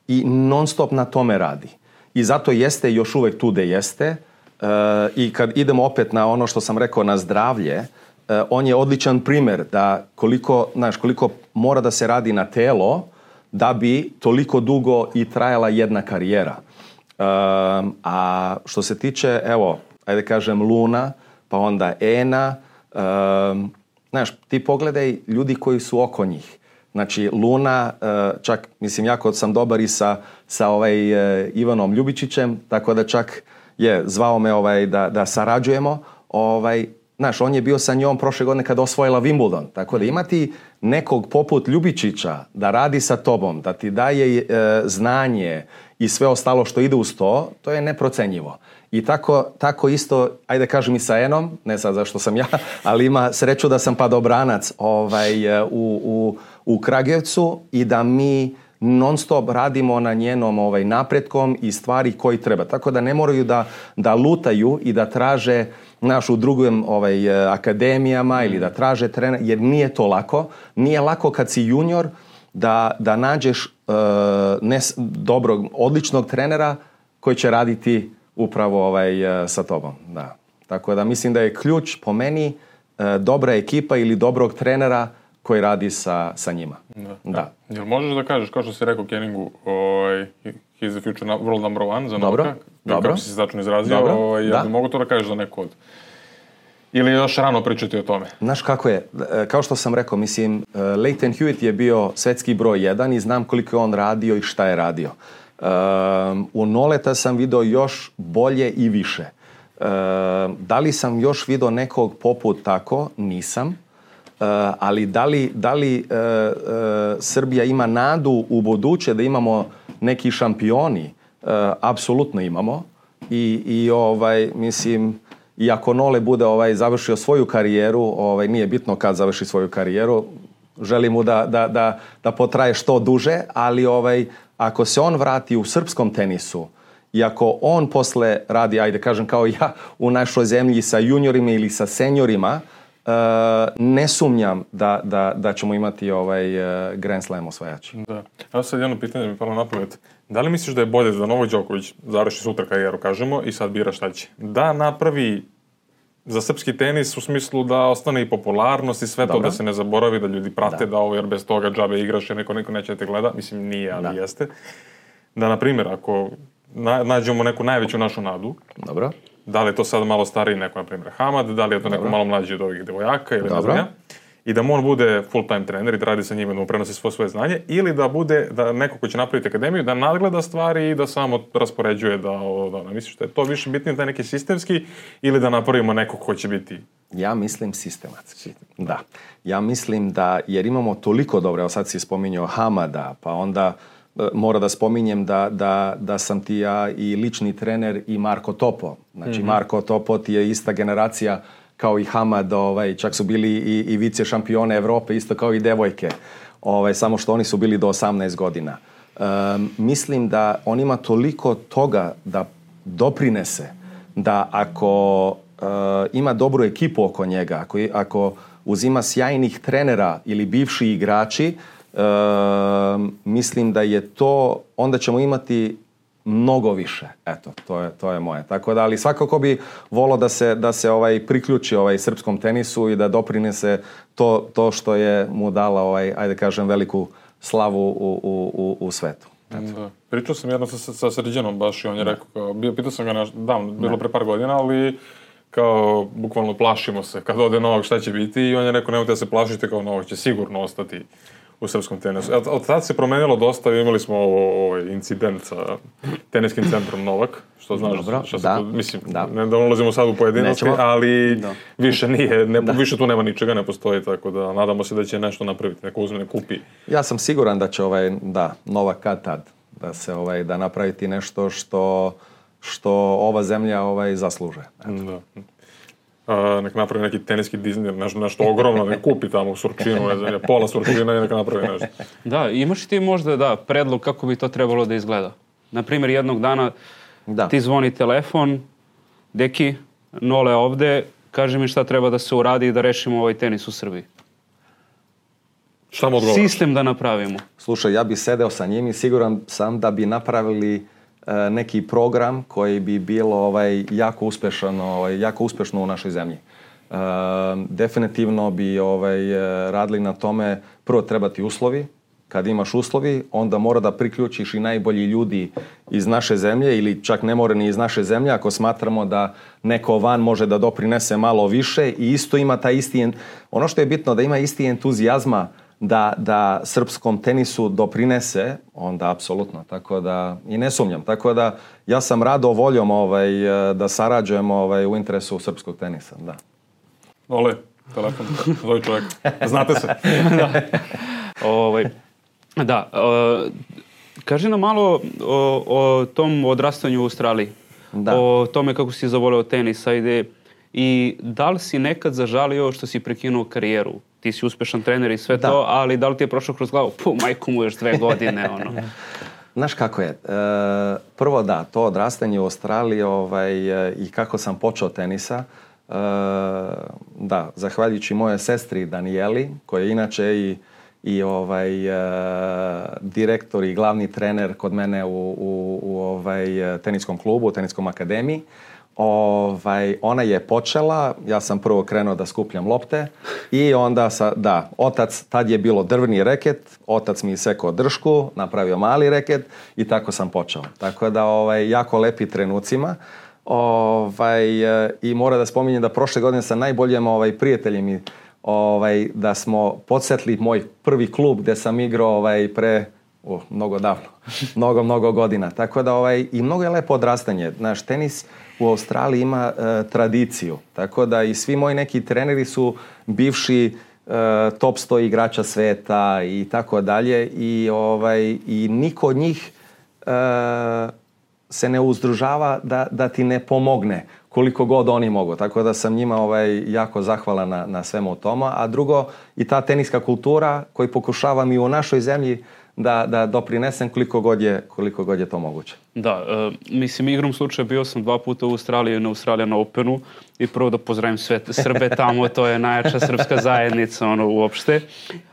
i non stop na tome radi. I zato jeste još uvek tu gde jeste. Uh, i kad idemo opet na ono što sam rekao na zdravlje, uh, on je odličan primjer da koliko, znaš, koliko mora da se radi na telo da bi toliko dugo i trajala jedna karijera. Uh, a što se tiče, evo, ajde kažem Luna, pa onda Ena, uh, znaš, ti pogledaj ljudi koji su oko njih. Znači, Luna, uh, čak, mislim, jako sam dobar i sa, sa ovaj, uh, Ivanom Ljubičićem, tako da čak je zvao me ovaj, da, da sarađujemo. Ovaj, znaš, on je bio sa njom prošle godine kada osvojila Wimbledon. Tako da imati nekog poput Ljubičića da radi sa tobom, da ti daje e, znanje i sve ostalo što ide uz to, to je neprocenjivo. I tako, tako isto, ajde kažem i sa Enom, ne sad zašto sam ja, ali ima sreću da sam padobranac ovaj, u, u, u Kragujevcu i da mi non stop radimo na njenom ovaj, napretkom i stvari koji treba. Tako da ne moraju da, da lutaju i da traže naš u drugim ovaj, akademijama ili da traže trener, jer nije to lako. Nije lako kad si junior da, da nađeš uh, ne, dobrog, odličnog trenera koji će raditi upravo ovaj, uh, sa tobom. Da. Tako da mislim da je ključ po meni uh, dobra ekipa ili dobrog trenera koji radi sa, sa njima. Da. Da. Jel možeš da kažeš, kao što si rekao Kenningu, ovaj, he's the future world number one za Dobro. Novaka, Dobro. Kako si se tačno izrazio, ovaj, jel da. Mogu to da kažeš za neko od... Ili još rano pričati o tome? Znaš kako je, kao što sam rekao, mislim, Lleyton Hewitt je bio svetski broj jedan i znam koliko je on radio i šta je radio. Um, u Noleta sam video još bolje i više. Um, da li sam još video nekog poput tako? Nisam. Uh, ali da li, da li uh, uh, Srbija ima nadu u buduće da imamo neki šampioni? Uh, apsolutno imamo. I, i ovaj, mislim, i ako Nole bude ovaj, završio svoju karijeru, ovaj, nije bitno kad završi svoju karijeru, želim mu da, da, da, da potraje što duže, ali ovaj, ako se on vrati u srpskom tenisu i ako on posle radi, ajde kažem kao ja, u našoj zemlji sa juniorima ili sa seniorima, Uh, ne sumnjam da, da, da ćemo imati ovaj uh, Grand Slam osvajači. Da. Evo sad jedno pitanje mi palo na pamet. Da li misliš da je bolje da Novak Đoković završi sutra karijeru, kažemo, i sad bira šta će? Da napravi za srpski tenis u smislu da ostane i popularnost i sve Dobro. To, da se ne zaboravi, da ljudi prate da, da ovo, jer bez toga džabe igraš, jer neko, neko neće da te gleda. Mislim, nije, ali da. Jeste. Da, na primjer, ako na, nađemo neku najveću našu nadu, Dobro. Da li je to sad malo stariji neko, na primjer, Hamad, da li je to neko Dobro. Malo mlađi od ovih devojaka ili ne znam ja, i da on bude full-time trener i da radi sa njima, da mu prenosi svo svoje znanje, ili da bude da neko ko će napraviti akademiju, da nadgleda stvari i da samo raspoređuje da ovo, da, da. Misliš da je to više bitnije, taj neki sistemski, ili da napravimo neko ko će biti Ja mislim sistematski. Da. Ja mislim da, jer imamo toliko dobro, evo sad si spominjao Hamada, pa onda e, mora da spominjem da, da, da sam ti ja i lični trener i Marko Topo. Znači mm-hmm. Marko Topo ti je ista generacija kao i Hamad, ovaj, čak su bili i, i vice šampione Evrope, isto kao i devojke. Ovaj, samo što oni su bili do osamnaest godina. Um, mislim da on ima toliko toga da doprinese, da ako uh, ima dobru ekipu oko njega, ako, ako uzima sjajnih trenera ili bivši igrači, uh, mislim da je to, onda ćemo imati mnogo više. Eto, to je, to je moje. Tako da, ali svakako bi volio da se, da se ovaj, priključi ovaj srpskom tenisu i da doprinese to, to što je mu dala, ovaj, ajde kažem, veliku slavu u, u, u svetu. Da. Pričao sam jedno sa, sa Srđanom baš i on je rekao, kao, bio, pitao sam ga na, davno, bilo pre par godina, ali kao, bukvalno plašimo se kad ode Novak šta će biti i on je rekao, nemojte da se plašite, kao Novak će sigurno ostati u srpskom tenisu. Od, od tada se promenilo dosta, imali smo ovaj incident sa teniskim centrom Novak, što znaš, dobro, što da, se, mislim, da. ne da ulazimo sad u pojedinosti, Nećemo. ali Da. više nije, ne, Da. više tu nema ničega, ne postoji, tako da nadamo se da će nešto napraviti, neko uzme, ne kupi. Ja sam siguran da će ovaj, da, Novak kad tad, da se ovaj, da napraviti nešto što, što ova zemlja ovaj, zasluže. Da. A, nek napravi neki teniski Disney, nešto, nešto ogromno, nek kupi tamo Surčinu, ne znam, pola Surčina i nek napravi nešto. Da, imaš ti možda, da, predlog kako bi to trebalo da izgleda? Naprimjer, jednog dana Da. ti zvoni telefon, deki, Nole ovde, kaže mi šta treba da se uradi i da rešimo ovaj tenis u Srbiji. Šta mu odgovaraš? Sistem da napravimo. Slušaj, ja bi sedeo sa njim i siguran sam da bi napravili e, neki program koji bi bilo ovaj, jako uspešan, ovaj, jako uspešno u našoj zemlji. E, definitivno bi ovaj, e, radili na tome, prvo treba ti uslovi. Kad imaš uslovi, onda mora da priključiš i najbolji ljudi iz naše zemlje ili čak ne mora ni iz naše zemlje ako smatramo da neko van može da doprinese malo više i isto ima taj isti, ono što je bitno da ima isti entuzijazma da, da srpskom tenisu doprinese, onda apsolutno, tako da i ne sumnjam. Tako da ja sam rado voljom ovaj, da sarađujem ovaj, u interesu srpskog tenisa, da. Ole, telefon, zove čovjek. Znate se. Da. Ovaj, da, uh, kaži nam malo o, o tom odrastanju u Australiji. Da. O tome kako si zavoleo tenis, ajde. I da li si nekad zažalio što si prekinuo karijeru? Ti si uspešan trener i sve Da. to, ali da li ti je prošlo kroz glavu? Puh, majku mu još dve godine, ono. Znaš kako je? E, prvo da, to odrastanje u Australiji ovaj, e, i kako sam počeo tenisa, e, da, zahvaljujući moje sestri Danijeli, koja je inače i, i ovaj, e, direktor i glavni trener kod mene u, u, u ovaj, teniskom klubu, u teniskom akademiji. Ovaj, ona je počela, ja sam prvo krenuo da skupljam lopte i onda, sa, da, otac, tad je bilo drvni reket, otac mi isekao dršku, napravio mali reket i tako sam počeo. Tako da, ovaj, jako lepi trenucima. Ovaj, i mora da spominjem da prošle godine sa najboljim ovaj, prijateljem i ovaj, da smo podsjetili moj prvi klub gde sam igrao ovaj, pre oh, mnogo davno, mnogo, mnogo godina. Tako da ovaj, i mnogo je lepo odrastanje. Naš tenis u Australiji ima e, tradiciju. Tako da i svi moji neki treneri su bivši e, top sto igrača sveta i tako dalje. I, ovaj, i niko od njih e, se ne uzdružava da, da ti ne pomogne koliko god oni mogu. Tako da sam njima ovaj, jako zahvalan na, na svemu tome. A drugo, i ta teniska kultura koju pokušavam i u našoj zemlji da, da doprinesem koliko god je, koliko god je to moguće. Da, uh, mislim, igrom slučaja bio sam dva puta u Australiji na Australian Openu i prvo da pozdravim sve Srbe tamo, to je najjača srpska zajednica ono, uopšte.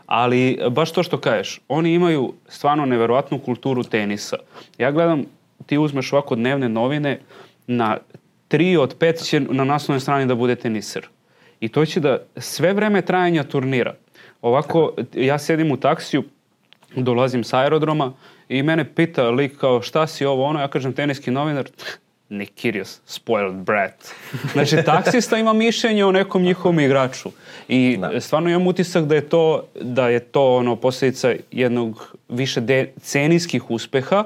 Ali baš to što kažeš, oni imaju stvarno neverovatnu kulturu tenisa. Ja gledam, ti uzmeš ovako dnevne novine, na tri od pet će na naslovnoj strani da bude teniser. I to će da sve vreme trajanja turnira. Ovako, ja sedim u taksiju, dolazim s aerodroma i mene pita lik kao šta si ovo ono, ja kažem teniski novinar, Nick Kyrgios, spoiled brat. Znači taksista ima mišljenje o nekom njihovom igraču i Da. stvarno imam utisak da je to, da je to ono posljedica jednog više decenijskih uspeha,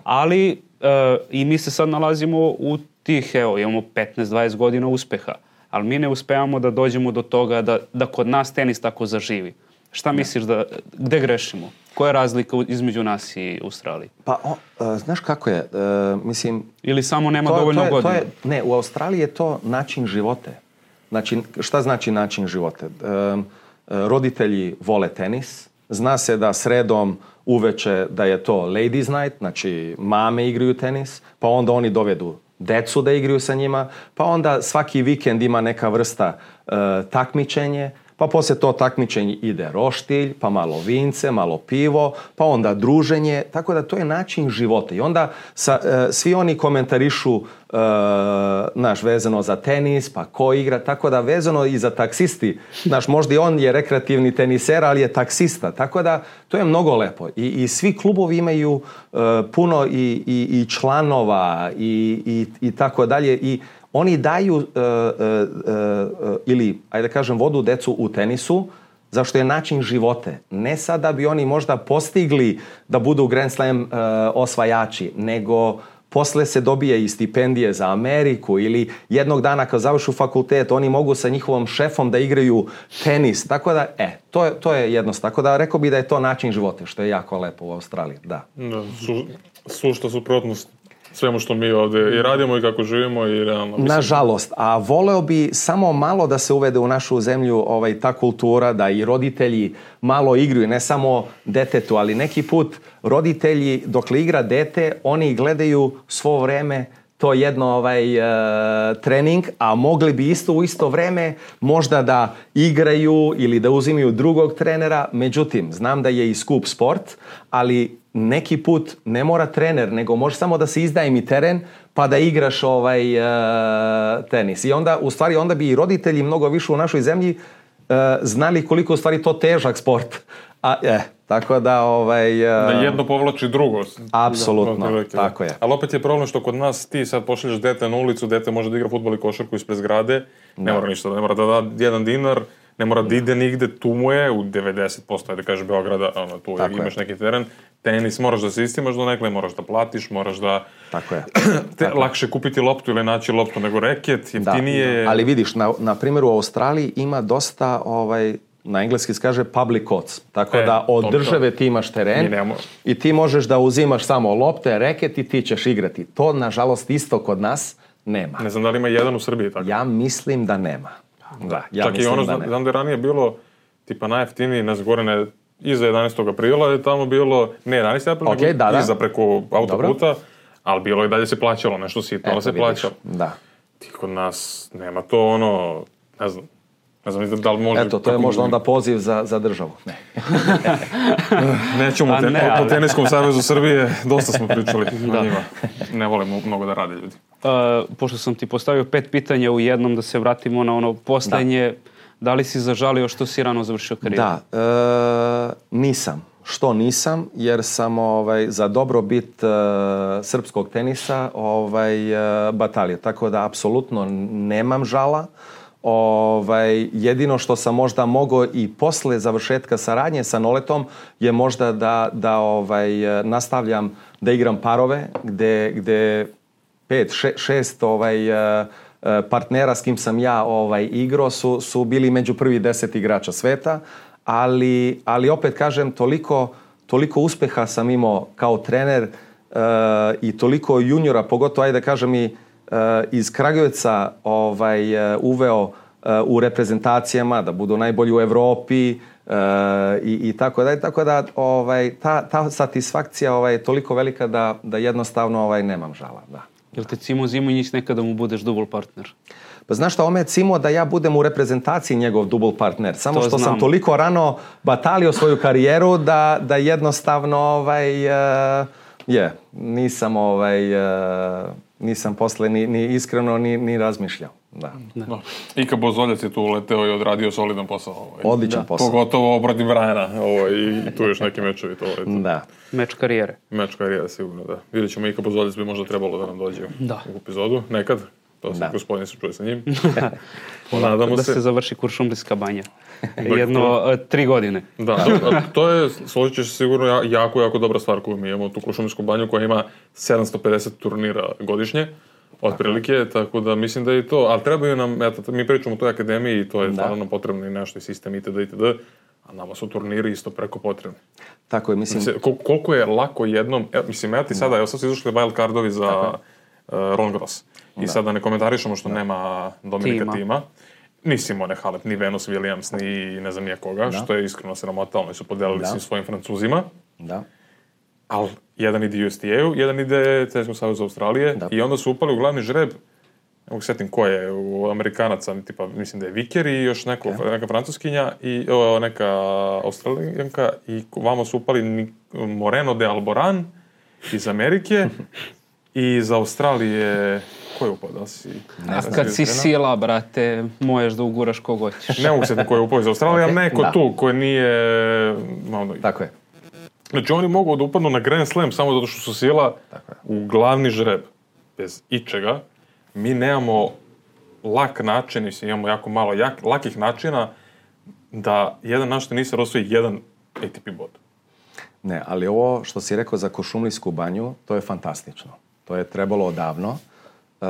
ali uh, i mi se sad nalazimo u tih, evo, imamo petnaest dvadeset godina uspeha. ali mi ne uspevamo da dođemo do toga da, da kod nas tenis tako zaživi. Šta misliš da, gde grešimo? Koja je razlika između nas i Australije? Pa, o, uh, znaš kako je, uh, mislim... Ili samo nema to, dovoljno to je, godina? To je, ne, u Australiji je to način života. Znači, šta znači način života? Uh, roditelji vole tenis, zna se da sredom uveče da je to ladies night, znači mame igraju tenis, pa onda oni dovedu decu da igraju sa njima, pa onda svaki vikend ima neka vrsta uh, takmičenje, pa poslije to takmičenje ide roštilj, pa malo vince, malo pivo, pa onda druženje, tako da to je način života. I onda sa, uh, svi oni komentarišu uh, naš, vezano za tenis, pa ko igra, tako da vezano i za taksisti, znaš, možda i on je rekreativni teniser, ali je taksista, tako da to je mnogo lepo. I, i svi klubovi imaju uh, puno i, i, i članova i, i, i tako dalje i oni daju uh, uh, uh, ili, ajde da kažem, vodu decu u tenisu, zašto je način živote. Ne sad da bi oni možda postigli da budu Grand Slam uh, osvajači, nego posle se dobije i stipendije za Ameriku ili jednog dana kad završu fakultet, oni mogu sa njihovom šefom da igraju tenis. Tako da, e, to je, to je jednostavno. Tako da rekao bi da je to način života, što je jako lepo u Australiji, da. Da, su, sušta suprotnost svemu što mi ovde i radimo i kako živimo i realno. Mislim. Nažalost, a voleo bi samo malo da se uvede u našu zemlju ovaj, ta kultura, da i roditelji malo igraju, ne samo detetu, ali neki put roditelji, dok li igra dete, oni gledaju svo vreme to jedno ovaj, uh, trening, a mogli bi isto u isto vreme možda da igraju ili da uzimaju drugog trenera. Međutim, znam da je i skup sport, ali neki put ne mora trener, nego može samo da se izdaje mi teren pa da igraš ovaj uh, tenis. I onda, u stvari, onda bi i roditelji mnogo više u našoj zemlji uh, znali koliko u stvari to težak sport. A, eh, tako da ovaj... Uh, da jedno povlači drugo. Apsolutno, da, tako je. Ali opet je problem što kod nas ti sad pošalješ dete na ulicu, dete može da igra fudbal i košarku ispred zgrade, ne mora ništa, ne mora da da jedan dinar, ne mora da ide nigde, tu mu je u devedeset posto, ajde kažeš Beograda, ono, tu tako imaš je. Neki teren, tenis moraš da se istimaš do nekle, moraš da platiš, moraš da... Tako je. te, tako lakše kupiti loptu ili naći loptu nego reket, jeftinije... Da, da. Ali vidiš, na, na primjer u Australiji ima dosta, ovaj, na engleski se kaže public courts, tako e, da od države ti imaš teren i ti možeš da uzimaš samo lopte, reket i ti ćeš igrati. To, nažalost, isto kod nas nema. Ne znam da li ima jedan u Srbiji tako. Ja mislim da nema. Da, ja čak i ono, da znam da je ranije bilo tipa najjeftiniji nas gore ne, iza jedanaestog aprila je tamo bilo, ne jedanaesti april, okay, nego da, da. Iza preko autoputa, dobro. Ali bilo je dalje se plaćalo, nešto sitno, ali se vidiš. Plaćalo. Da. Ti kod nas nema to ono, ne znam, ne znam da li može... Eto, to je možda onda poziv za, za državu. Ne. Nećemo ten, ne, o Teniskom savezu Srbije, dosta smo pričali o njima. Ne volimo mnogo da rade ljudi. Uh, pošto sam ti postavio pet pitanja u jednom, da se vratimo na ono poslednje, da, da li si zažalio što si rano završio karijeru? Da, e, nisam. Što nisam, jer sam ovaj, za dobrobit e, srpskog tenisa ovaj, e, batalio. Tako da, apsolutno nemam žala. Ovaj, jedino što sam možda mogao i posle završetka saradnje sa Noletom je možda da, da ovaj, nastavljam da igram parove, gde, gde pet, še, šest ovaj, partnera s kim sam ja ovaj, igrao su, su bili među prvi deset igrača sveta, ali, ali opet kažem, toliko, toliko uspeha sam imao kao trener uh, i toliko juniora, pogotovo, ajde da kažem i uh, iz Kragujevca ovaj, uh, uveo uh, u reprezentacijama, da budu najbolji u Evropi uh, i, i tako da, tako da ovaj, ta, ta satisfakcija ovaj, je toliko velika da, da jednostavno ovaj, nemam žala, da. Jel te Cimo Zimonjić nekada mu budeš dubl partner? Pa znaš šta, on me cimo da ja budem u reprezentaciji njegov dubl partner. Samo to što znam. Sam toliko rano batalio svoju karijeru da, da jednostavno ovaj, uh, je, nisam, ovaj, uh, nisam posle ni, ni iskreno ni, ni razmišljao. Da. Da. Ika Bozoljac je tu uleteo i odradio solidan posao. Ovaj. Odličan da. posao. Pogotovo protiv Brajana ovaj, i tu još neki mečevi. To, ovaj, da. Meč karijere. Meč karijere, sigurno, da. Vidjet ćemo, Ika Bozoljac bi možda trebalo da nam dođe da. U epizodu, nekad. To se gospodin se čuje sa njim. Nadamo da se. se završi Kuršumlijska banja. Jedno uh, tri godine. Da, to je, složit ćeš sigurno, jako, jako dobra stvar koju mi imamo, tu Kuršumlijsku banju koja ima sedamsto pedeset turnira godišnje. Otprilike, tako da mislim da je to, ali trebaju nam, eto, mi pričamo o toj akademiji i to je stvarno nam potrebno i nešto i sistem itd. itd. A nama su turniri isto preko potrebni. Tako je, mislim... mislim kol- koliko je lako jednom, evo, mislim, ja ti sada, evo sad su izašli wild cardovi za uh, Roland Garros. I da. Sada ne komentarišemo što da. nema Dominika tima. tima. Ni Simone Halep, ni Venus Williams, ni ne znam nije koga, da. što je iskreno sramota, oni su podelili da. svim svojim Francuzima. Da. Ali jedan ide U S T A-u, jedan ide Teniskom savezu Australije da. I onda su upali u glavni žreb, ne mogu setim ko je, u Amerikanaca, tipa, mislim da je Viker i još neko, okay. neka francuskinja i o, neka Australijanka i vamo su upali Moreno de Alboran iz Amerike i iz Australije, ko je upao, da si... Ne znam, kad si sila, brate, možeš da uguraš kog hoćeš. Ne mogu setim ko je upao iz Australije, okay. ali neko da. tu koji nije... Malo, tako je. Znači oni mogu da upadnu na Grand Slam samo zato što su sila u glavni žreb, bez ičega. Mi nemamo lak način, mislim, imamo jako malo jak, lakih načina da jedan naš tenisa osvoji jedan A T P bod. Ne, ali ovo što si rekao za Kuršumlijsku banju, to je fantastično. To je trebalo odavno uh,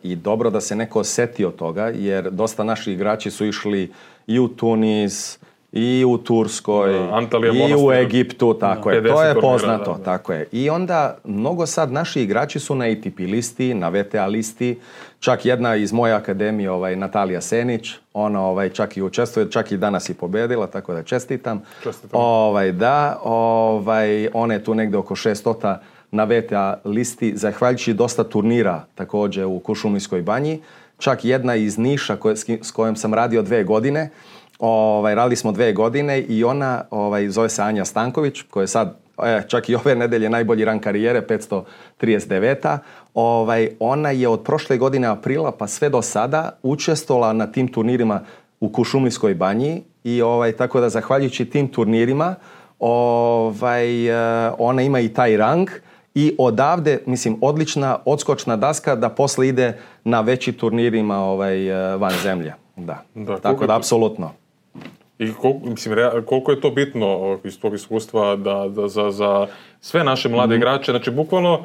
i dobro da se neko setio toga, jer dosta naši igrači su išli i u Tunis, i u Turskoj, da, Antalija, i Monastir, u Egiptu, tako da, je. To je poznato, da, da. tako je. I onda mnogo sad naši igrači su na A T P listi, na V T A listi. Čak jedna iz moje akademije, ovaj, Natalija Senić, ona ovaj, čak i učestvuje, čak i danas i pobedila, tako da čestitam. Čestitam. Ovaj, da, ovaj, ona je tu negde oko šeststo na V T A listi, zahvaljujući dosta turnira također u Kuršumlijskoj banji. Čak jedna iz Niša koje, s kojom sam radio dve godine, Ovaj, radili smo dve godine i ona, ovaj, zove se Anja Stanković, koja je sad, e, čak i ove nedelje najbolji rang karijere, petsto trideset devet. Ovaj, ona je od prošle godine aprila pa sve do sada učestvovala na tim turnirima u Kuršumlijskoj banji i ovaj, tako da zahvaljujući tim turnirima ovaj, ona ima i taj rang i odavde, mislim, odlična odskočna daska da posle ide na veći turnirima ovaj, van zemlje. Da, da tako da, apsolutno. I koliko, mislim, koliko je to bitno iz tog iskustva da, da za, za sve naše mlade mm-hmm. igrače, znači bukvalno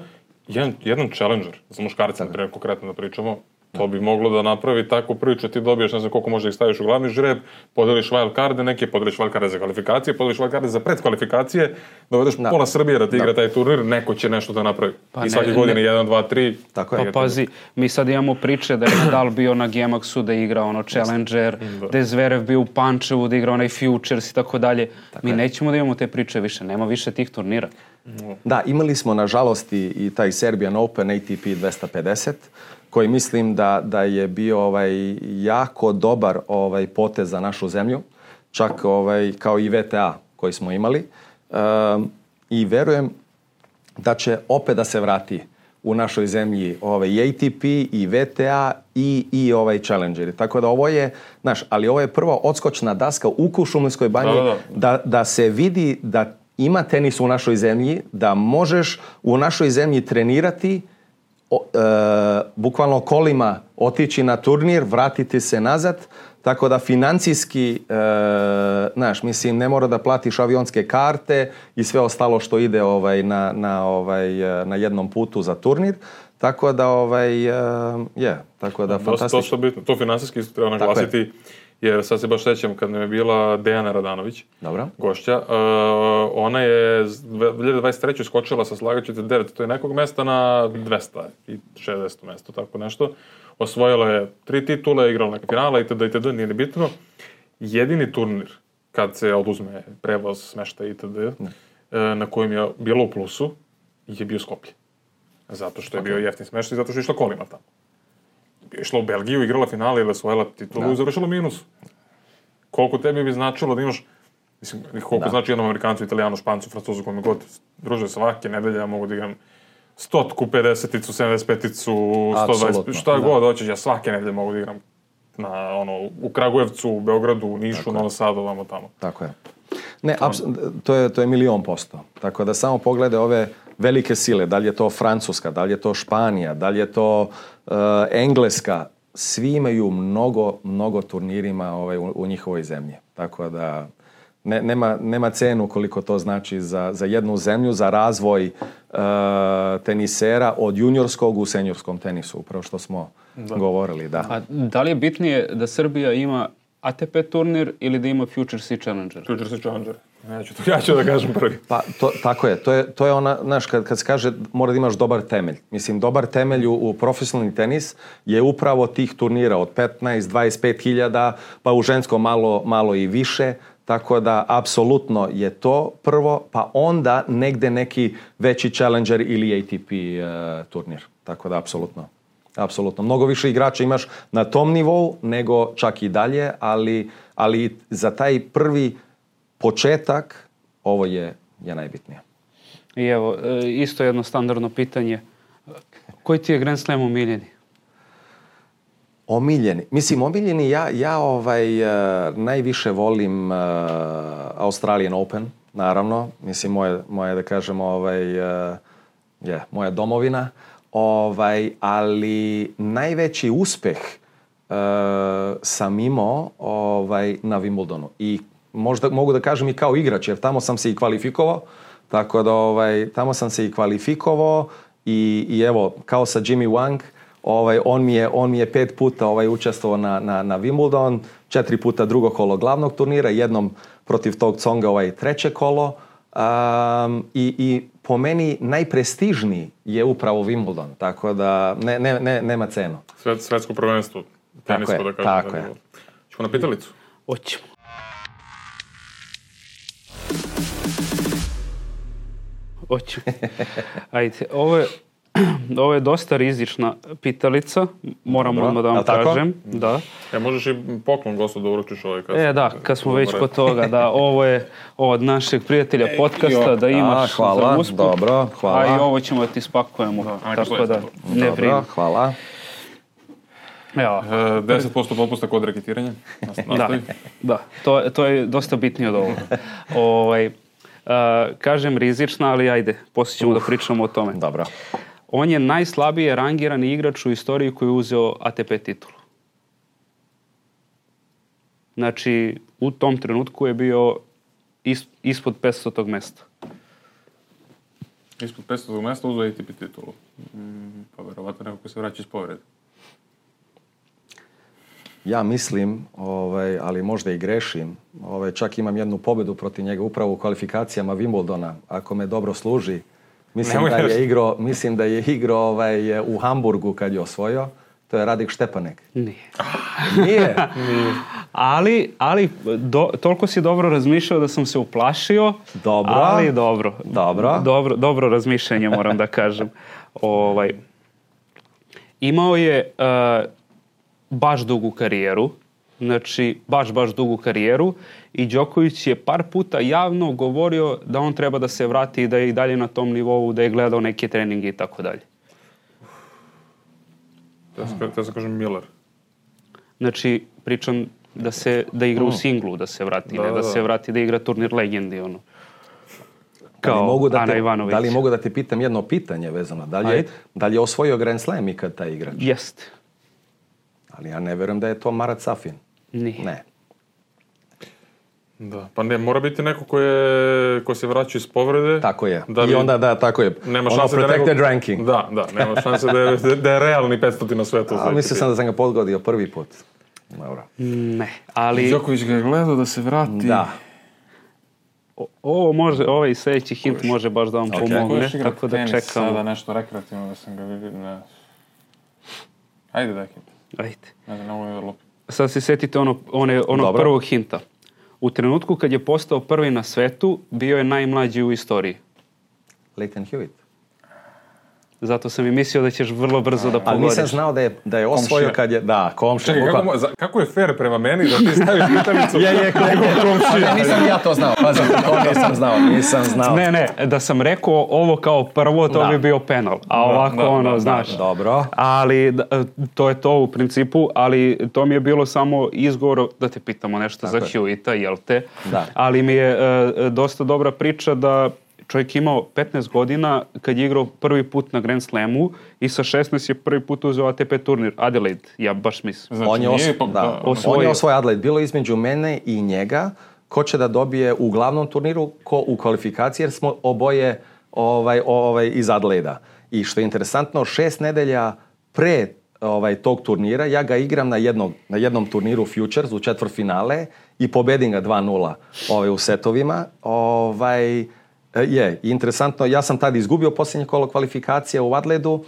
jedan, jedan challenger, za muškarca, na primjer, konkretno da pričamo, to bi moglo da napravi takvu priču, ti dobiješ, ne znam koliko može ih staviš u glavni žreb, podeliš wild carde neke, podeliš wild carde za kvalifikacije, podeliš wild carde za predkvalifikacije, dovedeš da. pola Srbije da ti igra taj turnir, neko će nešto da napravi. Pa I svake godine jedan, dva, tri. Tako je. Pa pazi, mi sad imamo priče da je Nadal bio na Gemaxu da igra ono Challenger, da, da je Zverev bio u Pančevu da igra onaj Futures i tako dalje. Mi nećemo da imamo te priče više, nema više tih turnira. Da, imali smo nažalost i, i taj Serbian Open A T P dvesta pedeset, koji mislim da, da je bio ovaj, jako dobar ovaj, potez za našu zemlju, čak ovaj, kao i V T A koji smo imali. Um, I verujem da će opet da se vrati u našoj zemlji ovaj, i A T P, i V T A, i, i ovaj Challengeri. Tako da ovo je, znaš, ali ovo je prva odskočna daska u Kuršumlijskoj banji, da, da. Da, da se vidi da ima tenis u našoj zemlji, da možeš u našoj zemlji trenirati, O, e, bukvalno kolima otići na turnir, vratiti se nazad, tako da financijski, e, znaš, mislim, ne mora da platiš avionske karte i sve ostalo što ide ovaj, na, na, ovaj, na jednom putu za turnir, tako da, ovaj, je, yeah, tako da, fantastično. To, to, to finansijski isto treba naglasiti, jer sad se baš sećam kad nam je bila Dejana Radanović, Dobro. gošća, uh, ona je dve hiljade dvadeset treće skočila sa slagaćete devet, to je nekog mesta na dvesta šezdeset mesto, tako nešto. Osvojila je tri titule, igrala neka finala itd. itd. Nije ni bitno. Jedini turnir, kad se oduzme prevoz, smešta itd. Ne. na kojem je bilo u plusu, je bio Skoplje. Zato što je okay. bio jeftin smešta i zato što je išla kolima tamo. Išla u Belgiju, igrala finale ili osvojila titulu da. i završila minus. Koliko tebi bi značilo da imaš, mislim, koliko da. znači jednom Amerikancu, Italijanu, Špancu, Francuzu, kome god druže svake nedelje, ja mogu da igram stotku, pedeseticu, sedamdeset peticu, sto dvadeset, šta da. god hoćeš, ja svake nedelje mogu da igram na, ono, u Kragujevcu, u Beogradu, u Nišu, Novom Sadu, vamo tamo. Tako je. Ne, apsu, to je, to je milion posto. Tako da samo poglede ove velike sile, da li je to Francuska, da li je to Španija, da li je to uh, Engleska, svi imaju mnogo, mnogo turnirima ovaj, u, u njihovoj zemlji. Tako da ne, nema, nema cenu koliko to znači za, za jednu zemlju, za razvoj tenisera od juniorskog u seniorskom tenisu, upravo što smo da. govorili. Da. A da li je bitnije da Srbija ima A T P turnir ili da ima Futures i Challenger? Futures i Challenger. Ja ću, to, ja ću da kažem prvi. Pa, to, tako je. To je, to je ona, znaš, kad, kad se kaže mora da imaš dobar temelj. Mislim, dobar temelj u, u profesionalni tenis je upravo tih turnira od petnaest do dvadeset pet hiljada, pa u ženskom malo, malo i više. Tako da, apsolutno je to prvo, pa onda negde neki veći Challenger ili A T P uh, turnir. Tako da, apsolutno. Apsolutno. Mnogo više igrača imaš na tom nivou nego čak i dalje, ali, ali za taj prvi početak ovo je, je najbitnije. I evo, isto jedno standardno pitanje. Koji ti je Grand Slam omiljeni? Omiljeni? Mislim, omiljeni, ja, ja ovaj, uh, najviše volim uh, Australian Open, naravno. Mislim, moje, moje da kažemo, ovaj, uh, je, moja domovina. Ovaj, ali najveći uspeh uh, sam imao ovaj, na Wimbledonu. I možda mogu da kažem i kao igrač, jer tamo sam se i kvalifikovao. Tako da ovaj, tamo sam se i kvalifikovao i, i evo, kao sa Jimmy Wang, ovaj, on, mi je, on mi je pet puta ovaj, učestvovao na, na, na Wimbledon, četiri puta drugo kolo glavnog turnira, jednom protiv tog Tsonga ovaj, treće kolo. Um, i, i po meni najprestižniji je upravo Wimbledon, tako da ne, ne, ne, nema cenu. Svet, svetsko prvenstvo. Tako je, da kažem, tako da je. Ćemo na pitalicu? Hoćemo. Hoćemo. Ajde, ovo je, ovo je dosta rizična pitalica, moram Dobro. odmah da vam kažem. Da. E, možeš i poklon gostu da uručiš ovaj kad... E, da, kad smo već kod toga, da, ovo je od našeg prijatelja podcasta, da imaš A, hvala, za usput. dobro, hvala. A i ovo ćemo da ti spakujemo, Da, tako da ne Dobro, brini. hvala. Evo, E, deset posto popusta kod reketiranja. da, da, to, to je dosta bitnije od ovoga. ovaj, uh, kažem rizična, ali ajde, poslije ćemo da pričamo o tome. Dobro. On je najslabije rangirani igrač u istoriji koji je uzeo A T P titulu. Znači, u tom trenutku je bio is, ispod petstotog mesta. Ispod petstotog mesta uzeo A T P titulu. Mm, pa verovatno neko ko se vraća iz povrede. Ja mislim, ovaj, ali možda i grešim, ovaj, čak imam jednu pobedu protiv njega upravo u kvalifikacijama Wimbledona, ako me dobro služi. Mislim da je igrao, mislim da je igrao ovaj, u Hamburgu kad je osvojio. To je Radik Štepanek. Nije. Nije? Nije. Ali, ali do, toliko si dobro razmišljao da sam se uplašio. Dobro. Ali dobro. Dobro. Dobro, dobro razmišljanje, moram da kažem. Ovaj, imao je uh, baš dugu karijeru. Znači, baš, baš dugu karijeru. I Đoković je par puta javno govorio da on treba da se vrati i da je i dalje na tom nivou, da je gledao neke treninge i tako dalje. Te se kažem Miller. Znači, pričam da se da igra u singlu, da se vrati, da, ne da, da se vrati da igra turnir legendi, ono. Da li, Kao mogu da, Ana te, Ivanović. da li mogu da te pitam jedno pitanje vezano? Da li je, da li je osvojio Grand Slam ikad taj igrač? Jeste. Ali ja ne verujem da je to Marat Safin. Nije. Ne. Da, pa ne, mora biti neko ko, je, ko se vraća iz povrede. Tako je. Da I onda, da, tako je. Nema ono šanse protected da neko, ranking. Da, da, nema šanse da je, da je realni petstoti na svetu. A mislio sam da sam ga podgodio prvi put. Dobro. Ne, ali... Đoković ga je gledao da se vrati. Da. O, ovo može, ovaj sljedeći hint može baš da vam Okay. pomogne, tako da čekamo. Sada nešto rekreativno da sam ga vidio. Ne. Ajde daj hint. Ajde. Ne znam, ovo je lupi. Sad se setite ono, one, onog prvog hinta. U trenutku kad je postao prvi na svetu, bio je najmlađi u istoriji. Leighton Hewitt. Zato sam i mislio da ćeš vrlo brzo da pogodiš. Ali nisam znao da je, da je osvojio kad je... Da, komšija. Čekaj, kako, za, kako je fair prema meni da ti staviš pitalicu? je, je, komšija. Nisam ja to znao. Pazi, to nisam znao. Nisam znao. Ne, ne, da sam rekao ovo kao prvo, to da. bi bio penal. A ovako, da, da, ono, da, znaš. Da, dobro. Ali, da, to je to u principu, ali to mi je bilo samo izgovor da te pitamo nešto Tako za je. Hewita, jel te? Da. Ali mi je uh, dosta dobra priča da čovjek imao petnaest godina kad je igrao prvi put na Grand Slamu i sa šesnaest je prvi put uzeo A T P turnir. Adelaide, ja baš mislim. Znači, on je, os, nije, pa, da, da, osvojio. on je osvojio Adelaide. Bilo između mene i njega ko će da dobije u glavnom turniru, ko u kvalifikaciji, jer smo oboje ovaj, ovaj, iz Adelaida. I što je interesantno, šest nedelja pre ovaj, tog turnira, ja ga igram na, jednog, na jednom turniru Futures u četvrtfinale i pobedim ga dva nula ovaj, u setovima. Ovaj, je, interesantno, ja sam tad izgubio posljednje kolo kvalifikacije u Adelaidu.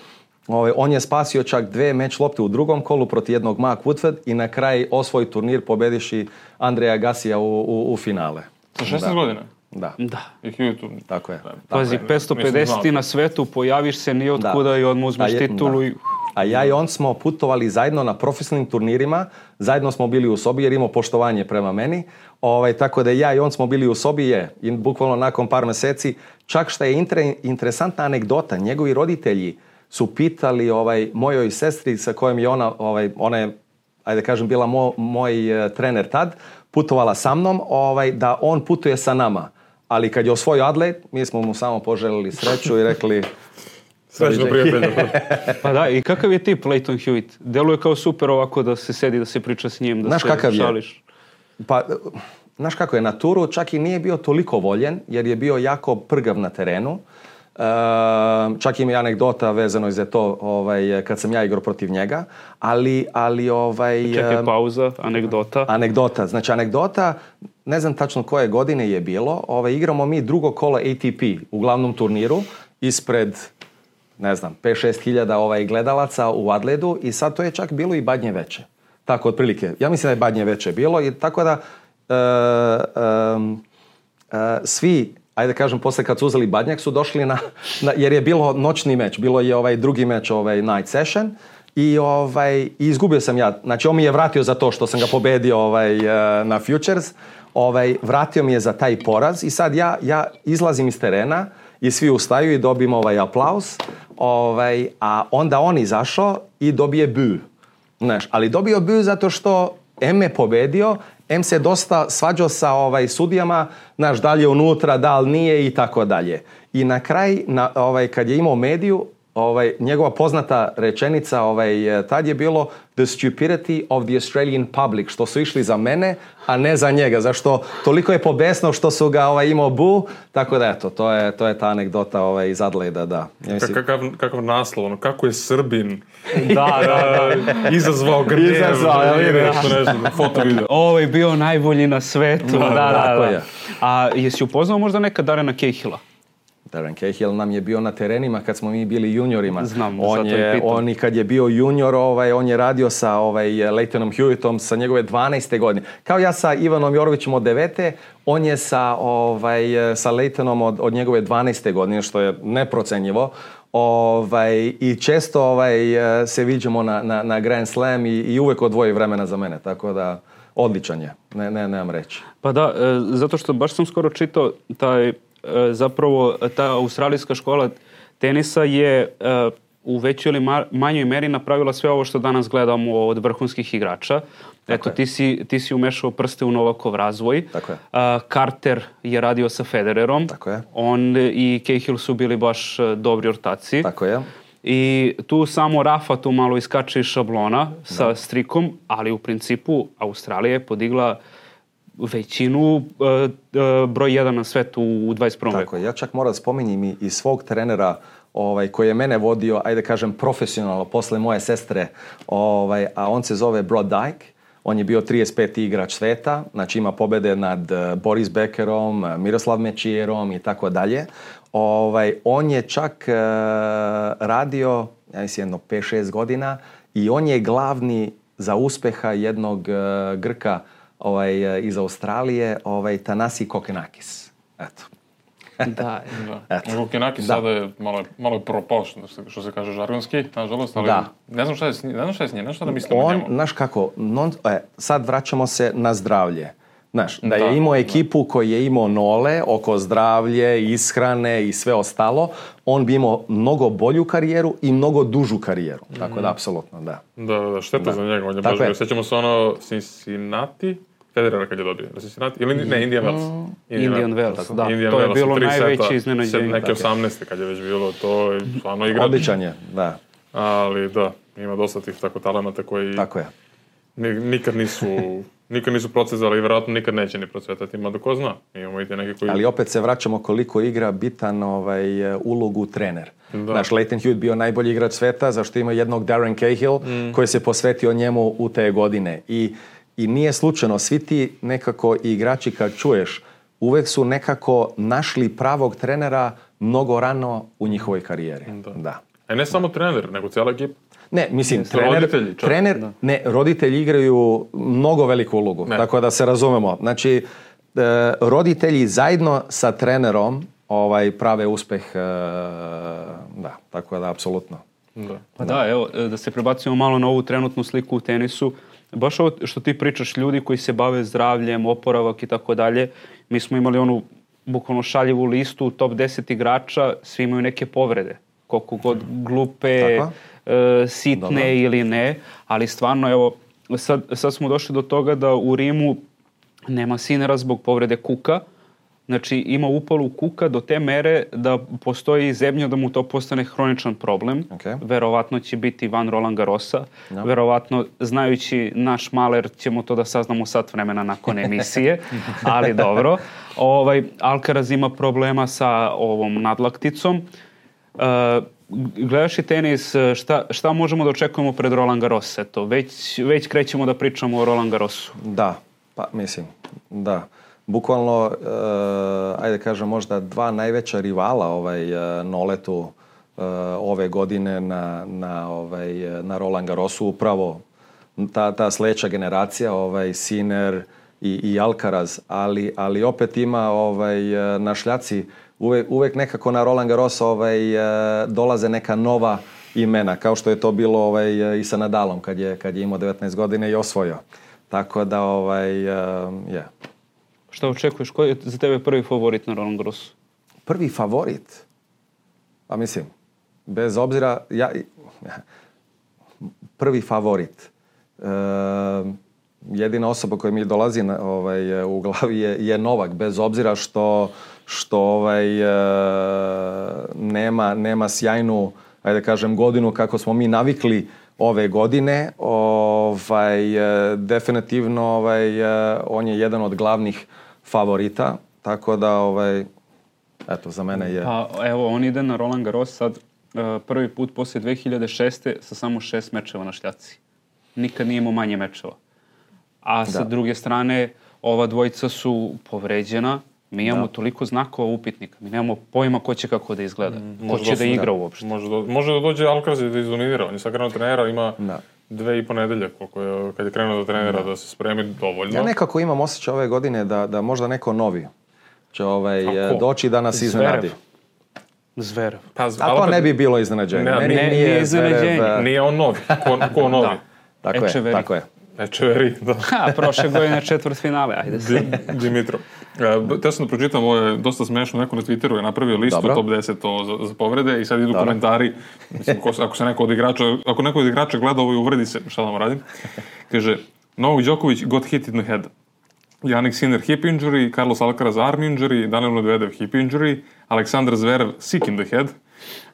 Ovaj, on je spasio čak dve meč lopte u drugom kolu protiv jednog Mark Woodford i na kraj osvoj turnir pobediši Andreja Gasija u, u, u finale. Sa šesnaest godina? Da. Da. I Hewitt. Tako je. Pazi, petsto pedeset na svetu, pojaviš se ni od kuda i odmah uzmeš titulu. I... A ja i on smo putovali zajedno na profesionalnim turnirima, zajedno smo bili u sobi jer imao poštovanje prema meni, ovaj, tako da ja i on smo bili u sobi je, i bukvalno nakon par meseci, čak što je inter, interesantna anegdota, njegovi roditelji su pitali ovaj, mojoj sestri sa kojom je ona, ovaj, ona je, ajde kažem, bila mo, moj uh, trener tad, putovala sa mnom, ovaj, da on putuje sa nama. Ali kad je osvojio Adelaide, mi smo mu samo poželili sreću i rekli... Srećno prijatelja. Pa da, i kakav je tip Lleyton Hewitt? Deluje kao super ovako da se sedi, da se priča s njim, da znaš se kakav šališ. Je? Pa, znaš kako je, na turu čak i nije bio toliko voljen, jer je bio jako prgav na terenu. Uh, čak ima i anegdota vezano za to ovaj, kad sam ja igrao protiv njega, ali... ali ovaj, Čekaj, pauza, anegdota. Anegdota, znači anegdota, ne znam tačno koje godine je bilo, ovaj, igramo mi drugo kolo A T P u glavnom turniru, ispred, ne znam, pet šest hiljada ovaj, gledalaca u Adelaidu i sad to je čak bilo i Badnje veče. Tako, otprilike. Ja mislim da je Badnje veče bilo i tako da uh, um, uh, svi, ajde kažem, posle kad su uzeli Badnjak su došli na, na, jer je bilo noćni meč, bilo je ovaj drugi meč, ovaj night session i, ovaj, i izgubio sam ja. Znači on mi je vratio za to što sam ga pobedio ovaj, uh, na Futures, ovaj, vratio mi je za taj poraz i sad ja, ja izlazim iz terena i svi ustaju i dobijemo ovaj aplauz, ovaj, a onda on izašao i dobije bu. Znaš, ali dobio bu zato što em me pobedio, em se dosta svađao sa ovaj, sudijama, znaš, da li je unutra, da li nije i tako dalje. I na kraj, na, ovaj, kad je imao mediju, ovaj, njegova poznata rečenica ovaj, tad je bilo the stupidity of the Australian public, što su išli za mene, a ne za njega, zašto toliko je pobesno što su ga ovaj, imao bu, tako da eto, to je, to je ta anegdota ovaj, iz Adelaida, da. Ja mislim... Kakav, kakav naslov, ono, kako je Srbin da, da, da. izazvao grnev, izazvao, ja vidim, nešto, nešto, foto video. Ovo je bio najbolji na svetu, da, da, da, tako da. je. A jesi upoznao možda neka Darrena Cahilla? Darren Cahill nam je bio na terenima kad smo mi bili juniorima. Znam, on je, on i kad je bio junior, ovaj, on je radio sa ovaj, Lleytonom Hewittom sa njegove dvanaeste godine. Kao ja sa Ivanom Jorovićem od devete, on je sa, ovaj, sa Lleytonom od, od njegove dvanaeste godine, što je neprocenjivo. Ovaj, I često ovaj, se viđemo na, na, na Grand Slam i, i uvek odvoji vremena za mene, tako da odličan je, ne, ne, nemam reći. Pa da, zato što baš sam skoro čitao taj zapravo ta australijska škola tenisa je uh, u većoj ili ma- manjoj meri napravila sve ovo što danas gledamo od vrhunskih igrača. Eto, ti si, ti si umešao prste u Novakov razvoj. Tako je. Uh, Carter je radio sa Federerom. Tako je. On i Cahill su bili baš uh, dobri ortaci. Tako je. I tu samo Rafa tu malo iskače iz šablona sa da. Strikom, ali u principu Australija je podigla većinu uh, uh, broj jedan na svetu u dvadeset prvom veku. Tako je, ja čak moram da spominjem i, i svog trenera ovaj, koji je mene vodio, ajde kažem, profesionalno posle moje sestre, ovaj, a on se zove Brod Dyke. On je bio trideset peti igrač sveta, znači ima pobede nad uh, Boris Beckerom, Miroslav Mečijerom i tako dalje. Ovaj, on je čak uh, radio, ja mislim, jedno pet šest godina i on je glavni za uspeha jednog uh, Grka ovaj, iz Australije, ovaj, Tanasi Kokenakis. Eto. Da, da. Kokenakis sada je malo, malo propao, što se kaže žargonski, nažalost, ali da. ne znam šta je s njim, ne znam šta je s njim, ne znam šta da mislim on, o njemu. Znaš kako, non, e, sad vraćamo se na zdravlje. Znaš, da je da, imao ekipu da. koji je imao nole oko zdravlje, ishrane i sve ostalo, on bi imao mnogo bolju karijeru i mnogo dužu karijeru. Mm. Tako da, apsolutno, da. Da, da, šteta da. za njega. On je baš bio. Sjećamo se ono Cincinnati, Federera kad je dobio. Cincinnati, ili ne, Indian Wells. Mm. Indian Wells, da. Indian to je Wells, bilo najveće iznenađenje. Neke osamnaeste kad je već bilo, to je stvarno igra. Odličan je, da. Ali da, ima dosta tih tako talenata koji tako je. nikad nisu nikad nisu procezali i vjerojatno nikad neće ni procvetati, mada ko zna. Imamo i te neke koji... Ali opet se vraćamo koliko igra bitan ovaj, ulogu trener. Da. Znaš, Lleyton Hewitt bio najbolji igrač sveta, zašto ima jednog Darren Cahill mm. koji se posvetio njemu u te godine. I, i nije slučajno, svi ti nekako igrači kad čuješ, uvek su nekako našli pravog trenera mnogo rano u njihovoj karijeri. Da. Da. E ne samo trener, nego cijela ekipa. Ne, mislim, trener, roditelji, trener ne, roditelji igraju mnogo veliku ulogu, ne. Tako da se razumemo. Znači, e, roditelji zajedno sa trenerom ovaj, prave uspeh, e, da, tako da, apsolutno. Da. Pa da, evo, da se prebacimo malo na ovu trenutnu sliku u tenisu. Baš ovo što ti pričaš, ljudi koji se bave zdravljem, oporavak i tako dalje, mi smo imali onu bukvalno šaljivu listu, top deset igrača, svi imaju neke povrede. Koliko god glupe, e, sitne Dobro. Ili ne, ali stvarno, evo, sad, sad smo došli do toga da u Rimu nema Sinera zbog povrede kuka, znači ima upalu kuka do te mere da postoji zebnja da mu to postane hroničan problem. Okay. Verovatno će biti van Roland Garrosa. No. Verovatno, znajući naš maler, ćemo to da saznamo sat vremena nakon emisije, ali dobro. Ovaj, Alcaraz ima problema sa ovom nadlakticom. Uh, gledaš i tenis, šta, šta možemo da očekujemo pred Roland Garros? Eto, već, već krećemo da pričamo o Roland Garrosu. Da, pa mislim, da. Bukvalno, uh, ajde kažem, možda dva najveća rivala ovaj, uh, Noletu uh, ove godine na, na, ovaj, na Roland Garrosu, upravo ta, ta sljedeća generacija, ovaj, Sinner i, i Alcaraz, ali, ali opet ima ovaj, na šljaci uvek, uvek nekako na Roland Garros ovaj, dolaze neka nova imena, kao što je to bilo ovaj, i sa Nadalom kad je, kad je imao devetnaest godina i osvojio. Tako da, ovaj, je. Yeah. Šta očekuješ? Koji je za tebe prvi favorit na Roland Garrosu? Prvi favorit? Pa mislim, bez obzira, ja, prvi favorit. E, jedina osoba koja mi dolazi na, ovaj, u glavi je, je Novak, bez obzira što, što ovaj, e, nema, nema sjajnu, ajde kažem, godinu kako smo mi navikli ove godine. Ovaj, definitivno ovaj, on je jedan od glavnih favorita, tako da ovaj, eto, za mene je... Pa evo, on ide na Roland Garros sad prvi put poslije dve hiljade šeste sa samo šest mečeva na šljaci. Nikad nije imao manje mečeva. A sa da. druge strane, ova dvojica su povređena. Mi imamo da. toliko znakova upitnika. Mi nemamo pojma ko će kako da izgleda. Mm, ko će da igra da. uopšte. Može da, može da dođe Alcaraz i da izdominira. On je sad krenuo trenera, ima da. dve i po nedelje koliko je, kad je krenuo do trenera da. da se spremi dovoljno. Ja nekako imam osjećaj ove godine da, da možda neko novi će ovaj, doći da nas iznenadi. Zverev. Pa, a to ne bi bilo iznenađenje. Ne, ne, nije, nije iznenađenje. Zverev, nije on novi. Ko, ko novi? Da. Tako je, tako je. Echeveri, da. Ha, prošle godine četvrt finale, ajde se. Dimitrov. E, te sam da pročitam, ovo je dosta smešno, neko na Twitteru je napravio listu Dobro. top deset to za, za povrede i sad idu Dobro. komentari. Mislim, ako se neko od igrača, ako neko od igrača gleda ovo i uvredi se, šta da vam radim? Kaže, Novak Đoković got hit in the head. Jannik Sinner hip injury, Carlos Alcaraz arm injury, Daniel Medvedev hip injury, Aleksandar Zverev sick in the head,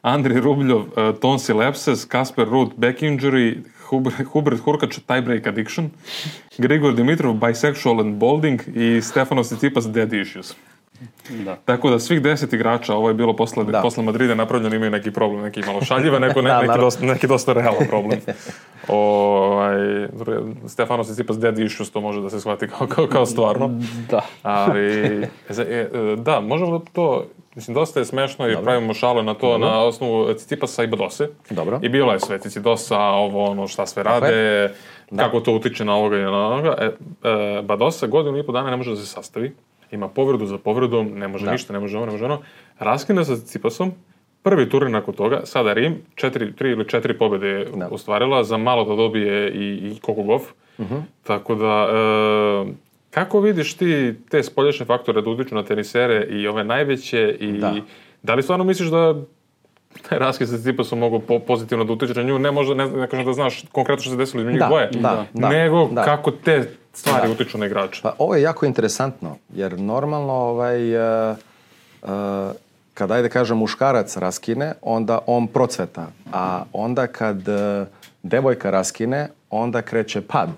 Andrij Rubljov uh, tonsil abscess, Kasper Ruud back injury, Hubert Hurkacz tiebreak addiction, Grigor Dimitrov bisexual and balding i Stefanos Tsitsipas dead issues. Da. Tako da svih deset igrača, ovo je bilo posle, posle Madrida napravljeno, imaju neki problem, neki malo šaljive, neko, ne, neki, dosta, neki dosta realan problem. O, Stefanos Tsitsipas dead issues, to može da se shvati kao, kao, kao stvarno. Da. Ali, da, možemo to... Mislim, dosta je smešno i Dobro. pravimo šale na to Dobro. na osnovu Tsitsipasa i Badose. Dobro. I bilo je sve Tsitsidosa, ovo, ono, šta sve rade, da. kako to utiče na ovoga i na ovoga. E, e, Badosa godinu i po dana ne može da se sastavi. Ima povredu za povredom, ne može da. ništa, ne može ovo, ne može ono. Raskine sa Tsitsipasom, prvi turnir nakon toga, sada Rim, četiri, tri ili četiri pobjede je da. ostvarila, za malo da dobije i, i Kokogov. Uh-huh. Tako da... E, kako vidiš ti te spoljašnje faktore da utiču na tenisere i ove najveće i da, da li stvarno misliš da taj raskid sa Tsitsipasom mogu po, pozitivno da utiče na nju? Ne možda, ne, ne kažem da znaš konkretno što se desilo između njih dvoje, da, da, nego da. kako te stvari da. utiču na igrača. Pa ovo je jako interesantno, jer normalno ovaj, uh, uh, kad ajde kažem muškarac raskine, onda on procveta, a onda kad uh, devojka raskine, onda kreće pad.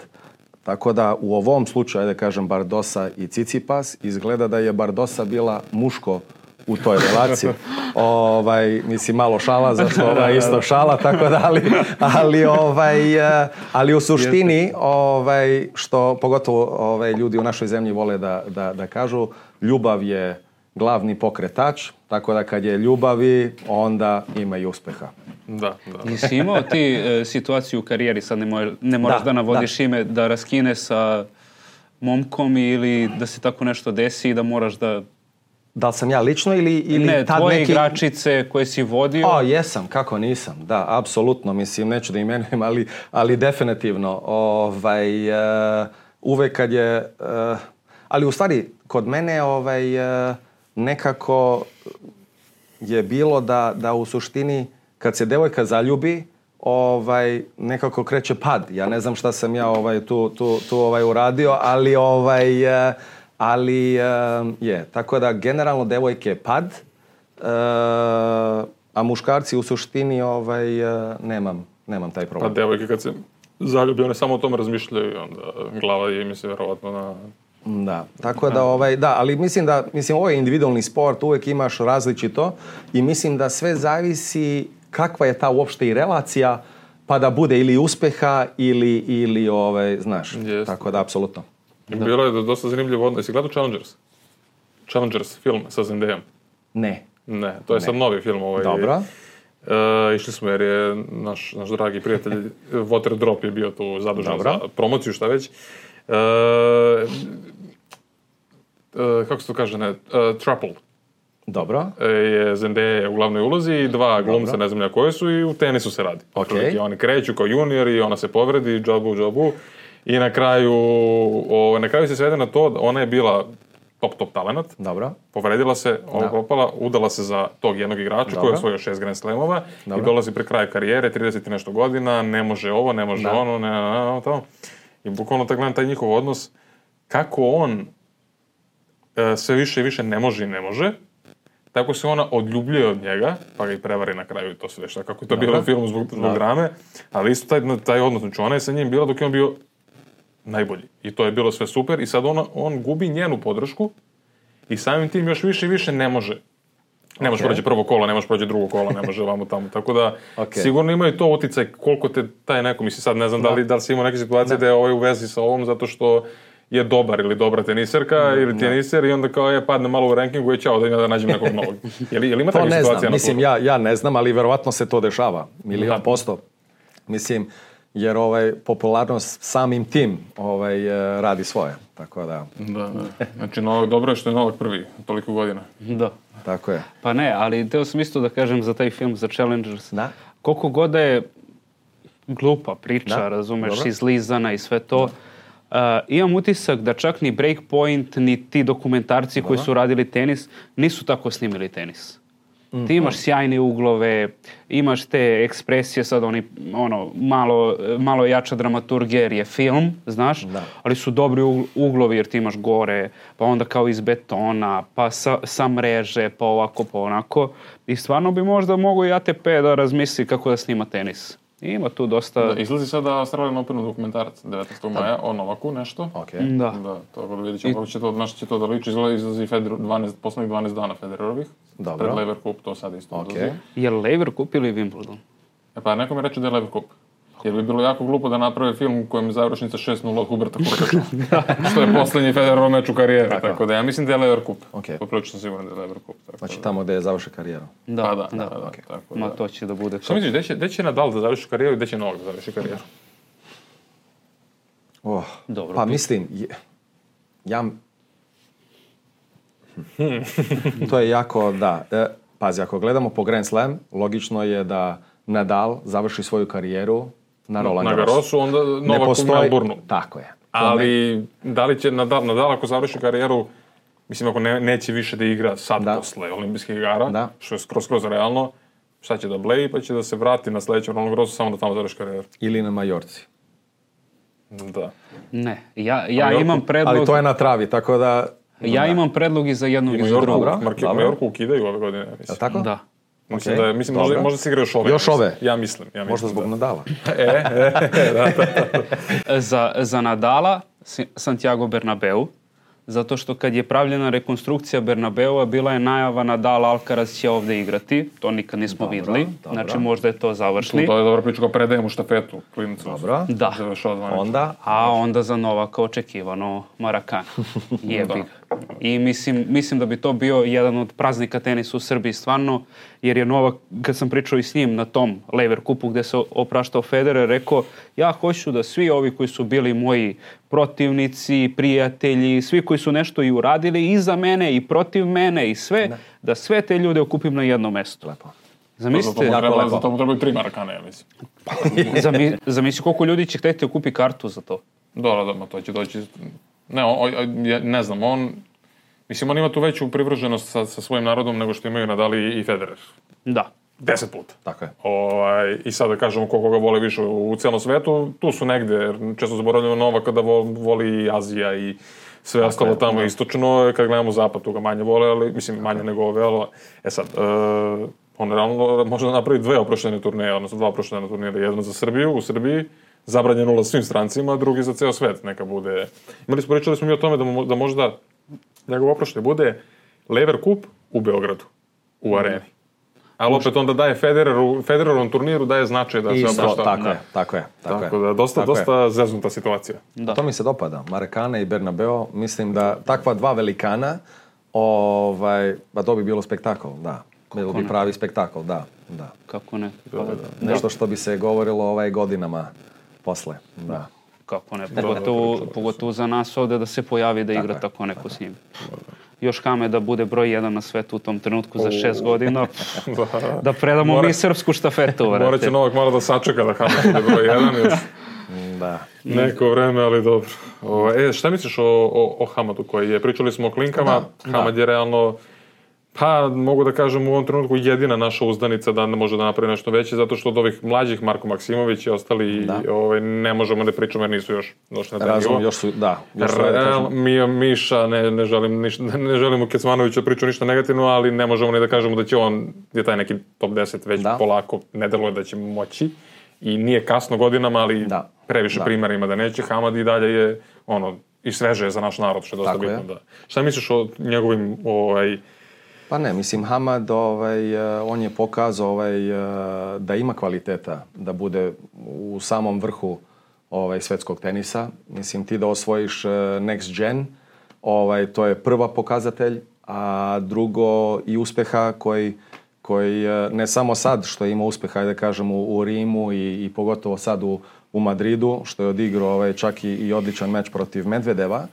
Tako da u ovom slučaju, da kažem, Bardosa i Cicipas, izgleda da je Bardosa bila muško u toj relaciji. ovaj, mislim, malo šala, zato ovaj, isto šala, tako da, ali, ali, ovaj, ali u suštini, ovaj, što pogotovo ovaj, ljudi u našoj zemlji vole da, da, da kažu, ljubav je glavni pokretač, tako da kad je ljubavi, onda ima i uspeha. Da, da. Jesi imao ti e, situaciju u karijeri, sad ne, moj, ne moraš da, da navodiš da. ime, da raskine sa momkom ili da se tako nešto desi i da moraš da... Da li sam ja lično ili, ili ne, tad tvoje neki... igračice koje si vodio? O, jesam, kako nisam, da, apsolutno, mislim, neću da imenujem, ali, ali definitivno, ovaj, uh, uvek kad je, uh, ali u stvari, kod mene, ovaj, uh, nekako je bilo da, da u suštini, kad se devojka zaljubi, ovaj, nekako kreće pad. Ja ne znam šta sam ja ovaj, tu, tu, tu ovaj, uradio, ali ovaj... Uh, Ali uh, je, tako da generalno devojke pad, uh, a muškarci u suštini ovaj, uh, nemam, nemam taj problem. Pa devojke kad se zaljubi, one samo o tome razmišljaju i onda glava je mi se verovatno na... Da, tako da, ovaj, da, ali mislim da, mislim, ovo je individualni sport, uvek imaš različito i mislim da sve zavisi kakva je ta uopšte i relacija, pa da bude ili uspeha ili, ili ovaj, znaš, Jest. Tako da, apsolutno. Da. Bilo je dosta zanimljivo odnos. Jesi gledao Challengers? Challengers film sa Zendayom? Ne. Ne, to je ne. sad novi film. Ovaj. Dobro. E, išli smo jer je naš, naš dragi prijatelj Water Drop je bio tu zadužen Dobro. za promociju, šta već. E, e, kako se to kaže, ne? E, Thruple. Dobro. E, je Zendaya u glavnoj ulozi i dva glumca, ne znam ja koje su, i u tenisu se radi. Okay. I oni kreću kao junior i ona se povredi, džabu, džabu. I na kraju, o, na kraju se svede na to da ona je bila top, top talent. Dobro. Povredila se, opala, udala se za tog jednog igrača Dobro. koji je osvojio šest Grand Slamova i dolazi pre kraja karijere, trideset i nešto godina, ne može ovo, ne može da. ono, ne, ne, ne, ne, to. I bukvalno tako gledam taj njihov odnos, kako on e, sve više i više ne može i ne može, tako se ona odljubljuje od njega, pa ga i prevari na kraju i to sve šta, kako je to Dobro. bilo u filmu zbog, zbog drame, ali isto taj, taj odnos, znači ona je sa njim bila dok je on bio najbolji. I to je bilo sve super i sad ona, on gubi njenu podršku i samim tim još više i više ne može. Ne okay. može prođe prvo kola, ne može prođe drugo kola, ne može vamo tamo. Tako da okay. sigurno imaju to uticaj koliko te taj neko, mislim sad ne znam da li, da li si imao neke situacije da. da je ovaj u vezi sa ovom zato što je dobar ili dobra teniserka da, ili teniser i onda kao je padne malo u rankingu i čao da ima da nađem nekog novog. Je li, je li ima takve situacije? Mislim, ja, ja ne znam, ali verovatno se to dešava. Milion da. posto. Mislim, jer ovaj popularnost samim tim ovaj radi svoje, tako da. Da, da. Znači Novak dobro je što je Novak prvi toliko godina. Da. Tako je. Pa ne, ali teo sam isto da kažem za taj film, za Challengers. Da. Koliko god je glupa priča, da. razumeš, dobro. izlizana i sve to, uh, imam utisak da čak ni Breakpoint, ni ti dokumentarci dobro. koji su radili tenis, nisu tako snimili tenis. Mm-hmm. Ti imaš sjajne uglove, imaš te ekspresije, sad oni, ono, malo, malo jača dramaturgija jer je film, znaš, da. ali su dobri uglovi jer ti imaš gore, pa onda kao iz betona, pa sa, sa mreže, pa ovako, pa onako. I stvarno bi možda mogo i A T P da razmisli kako da snima tenis. Ima tu dosta... Da, izlazi sada Australian Openu dokumentarac devetnaestog maja o Novaku nešto. Okay. Da. Da, to da vidjet ćemo kako će to, našto će to da liči. Izlazi Federer, dvanaest, poslednjih dvanaest dana Federerovih. Dobro. Pred Lever Cup, to sad isto okay. izlazi. Je li Lever Cup ili Wimbledon? E pa neko mi reče da je Lever Cup. Jer bi bilo jako glupo da naprave film u kojem je završnica šest nula od Huberta Hurkača. Što je poslednji Federerov meč u karijeri. Tako. tako da ja mislim da je Lever Cup. Okay. Poprilično siguran da je Lever Cup. Tako znači da. tamo gde je završi karijeru. Da, pa da, da. da, da, okay. tako Ma da. to će da bude... Što misliš, gde će, gde će Nadal da završi karijeru i gde će Novak da završi karijeru? Oh, Dobro, pa mislim, ja... to je jako, da. E, pazi, ako gledamo po Grand Slam, logično je da Nadal završi svoju karijeru na Roland Garrosu. Na Garrosu, onda Novak postoji... u Melbourneu. Tako je. Ali, ne... da li će Nadal, Nadal ako završi karijeru, mislim, ako ne, neće više da igra sad da. posle olimpijskih igara, da. što je skroz, skroz realno, šta će da bleji, pa će da se vrati na sledećem Roland Garrosu samo da tamo završi karijeru. Ili na Majorci. Da. Ne, ja, ja imam predlog... Ali to je na travi, tako da... Ja da. imam predlog i za jednog i za drugog. Majorku ukidaju ove godine. Je tako? Da. Mislim Okay, da je, mislim, možda, dobro. možda se igra još ove. Još ja mislim. ove? Ja mislim. Ja mislim Možda zbog da. Nadala. E, e, e, da, da. Za, za Nadala Si- Santiago Bernabeu, zato što kad je pravljena rekonstrukcija Bernabeua, bila je najava Nadal Alcaraz će ovde igrati. To nikad nismo Dobro, videli. dobro. Znači možda je to završni. To je dobra priča, kao predajemo štafetu klincu. Dobro. Da. Završao zvanično. Onda, A onda za Novaka očekivano Marakana. Jebi ga. I mislim, mislim da bi to bio jedan od praznika tenisa u Srbiji stvarno, jer je Novak, kad sam pričao i s njim na tom Lever Kupu gde se opraštao Federer, rekao ja hoću da svi ovi koji su bili moji protivnici, prijatelji, svi koji su nešto i uradili i za mene i protiv mene i sve, da, da sve te ljude okupim na jednom mestu. lepo. Zamislite, Zato mu treba, lepo. zato mu trebaju tri Marakane, ja mislim. zami, zamisli koliko ljudi će hteti da kupi kartu za to. Da, da, da, ma to će doći... Ne, on, on, ja ne znam, on... Mislim, on ima tu veću privrženost sa, sa svojim narodom nego što imaju Nadal i, i Federer. Da. Deset puta. Tako je. Ovaj, I sad da kažemo koliko ga vole više u, u cijelom svetu, tu su negde, jer često zaboravljamo Novaka da vo, voli i Azija i sve ostalo je, tamo da. istočno, kad gledamo zapad tu ga manje vole, ali mislim manje nego ove, ali e sad, uh, on realno može da napravi dve oproštene turneje, odnosno dva oproštena turnira, jedno za Srbiju, u Srbiji, zabranjeno ulaz svim strancima, a drugi za ceo svet, neka bude. Imali smo, pričali smo mi o tome da, mo, da možda njegov oproštaj bude Lever Kup u Beogradu, u areni. Ali opet onda daje Federeru, Federerovom turniru daje značaj da se Isto, oprašta. tako Da. je, tako je. Tako, Tako je. da, dosta, Tako je. dosta zeznuta situacija. Da. To mi se dopada. Marakane i Bernabeu, mislim da takva dva velikana, ovaj, pa to bi bilo spektakl, da. Bilo bi ne? pravi spektakl, da, da. Kako ne? Pa, Nešto što bi se govorilo ovaj godinama posle, da. Kako ne? Pogotovo, priča, pogotovo za nas ovde da se pojavi da igra tako neko s njim. Još Hame da bude broj jedan na svetu u tom trenutku za šest godina. Da predamo Mora- mi srpsku štafetu, vrate. Morat će Novak malo da sačeka da Hamad bude broj jedan još Da. neko vreme, ali dobro. O, e, šta misliš o, o, o Hamadu koji je? Pričali smo o klinkama, Da, Hamad je realno, pa mogu da kažem u ovom trenutku jedina naša uzdanica da može da napravi nešto veće, zato što od ovih mlađih Marko Maksimović i ostali Da. ovaj, ne možemo da pričamo jer nisu još došli na taj Razum, nivo. još su, da. Još su, da Real, kažem, mi, Miša, ne, ne želim ništa, ne želim u Kecmanoviću priču ništa negativno, ali ne možemo ni da kažemo da će on, je taj neki top deset već Da. polako, ne deluje da će moći i nije kasno godinama, ali Da. previše Da. primjera ima da neće. Hamad i dalje je, ono, i sveže je za naš narod, što je dosta Tako je. bitno. Da. Šta misliš o njegovim, ovaj, Pa ne, mislim, Hamad, ovaj, eh, on je pokazao ovaj, eh, da ima kvaliteta da bude u samom vrhu ovaj, svetskog tenisa. Mislim, ti da osvojiš eh, next gen, ovaj, to je prva pokazatelj, a drugo i uspeha koji, koji eh, ne samo sad što ima uspeha, da kažem, u, u Rimu i, i pogotovo sad u, u Madridu, što je odigrao ovaj, čak i, i odličan meč protiv Medvedeva.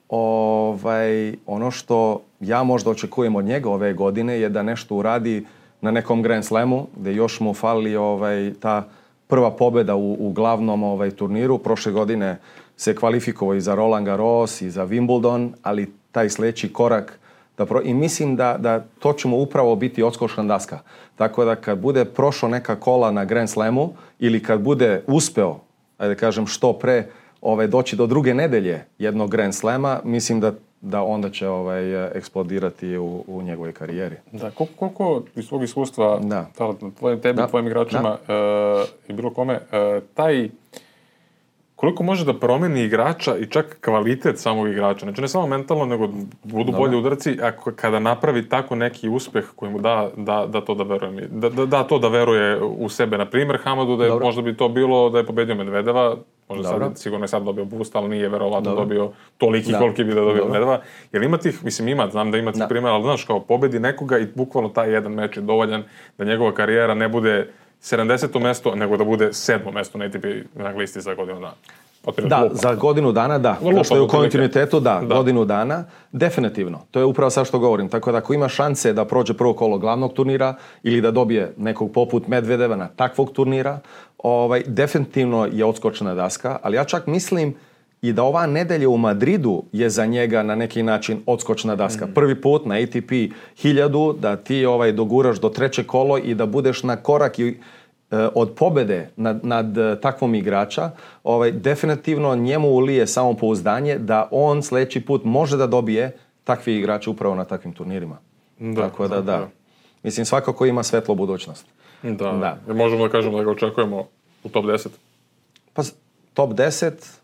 Ovaj, ono što ja možda očekujem od njega ove godine je da nešto uradi na nekom Grand Slamu, gde još mu fali ovaj, ta prva pobjeda u, u glavnom ovaj, turniru. Prošle godine se kvalifikovao i za Roland Garros i za Wimbledon, ali taj sljedeći korak da pro... i mislim da, da to će mu upravo biti odskočna daska. Tako da kad bude prošao neka kola na Grand Slamu ili kad bude uspeo, ajde da kažem što pre, ovaj, doći do druge nedelje jednog Grand Slama, mislim da, da onda će ovaj, eksplodirati u, u njegovoj karijeri. da, koliko, koliko iz svog iskustva, Da. tvojim, tebi, Da. tvojim igračima eh, i bilo kome, eh, taj, koliko može da promeni igrača i čak kvalitet samog igrača. Znači ne samo mentalno, nego budu bolji udarci, ako kada napravi tako neki uspeh koji mu da, da, da to da veruje. Da, da, da to da veruje u sebe. Na primjer, Hamadu da je, Dobro. možda bi to bilo da je pobedio Medvedeva, možda Dobro. sad, sigurno je sad dobio boost, ali nije verovatno Dobro. dobio toliki Da. koliki bi da dobio Dobro. Medvedeva. Jer ima tih, mislim ima, znam da ima tih Da. primjera, ali znaš kao pobedi nekoga i bukvalno taj jedan meč je dovoljan da njegova karijera ne bude sedamdeseto mesto, nego da bude sedmo mesto na A T P na listi za godinu dana. Otprilike Da, lupam. za godinu dana, da. Lupam, Kao što je u otprilike. kontinuitetu, da, Da. godinu dana, definitivno. To je upravo sad što govorim. Tako da ako ima šanse da prođe prvo kolo glavnog turnira ili da dobije nekog poput Medvedeva na takvog turnira, ovaj, definitivno je odskočna daska, ali ja čak mislim i da ova nedelja u Madridu je za njega na neki način odskočna daska. Prvi put na A T P hiljadu da ti ovaj, doguraš do treće kolo i da budeš na korak i od pobede nad, nad takvom igrača, ovaj, definitivno njemu ulije samopouzdanje da on sljedeći put može da dobije takvi igrače upravo na takvim turnirima. Da, Tako da, da, da. da. Mislim, svakako ima svetlu budućnost. Da, da. Možemo da kažemo da ga očekujemo u top deset. Pa top deset,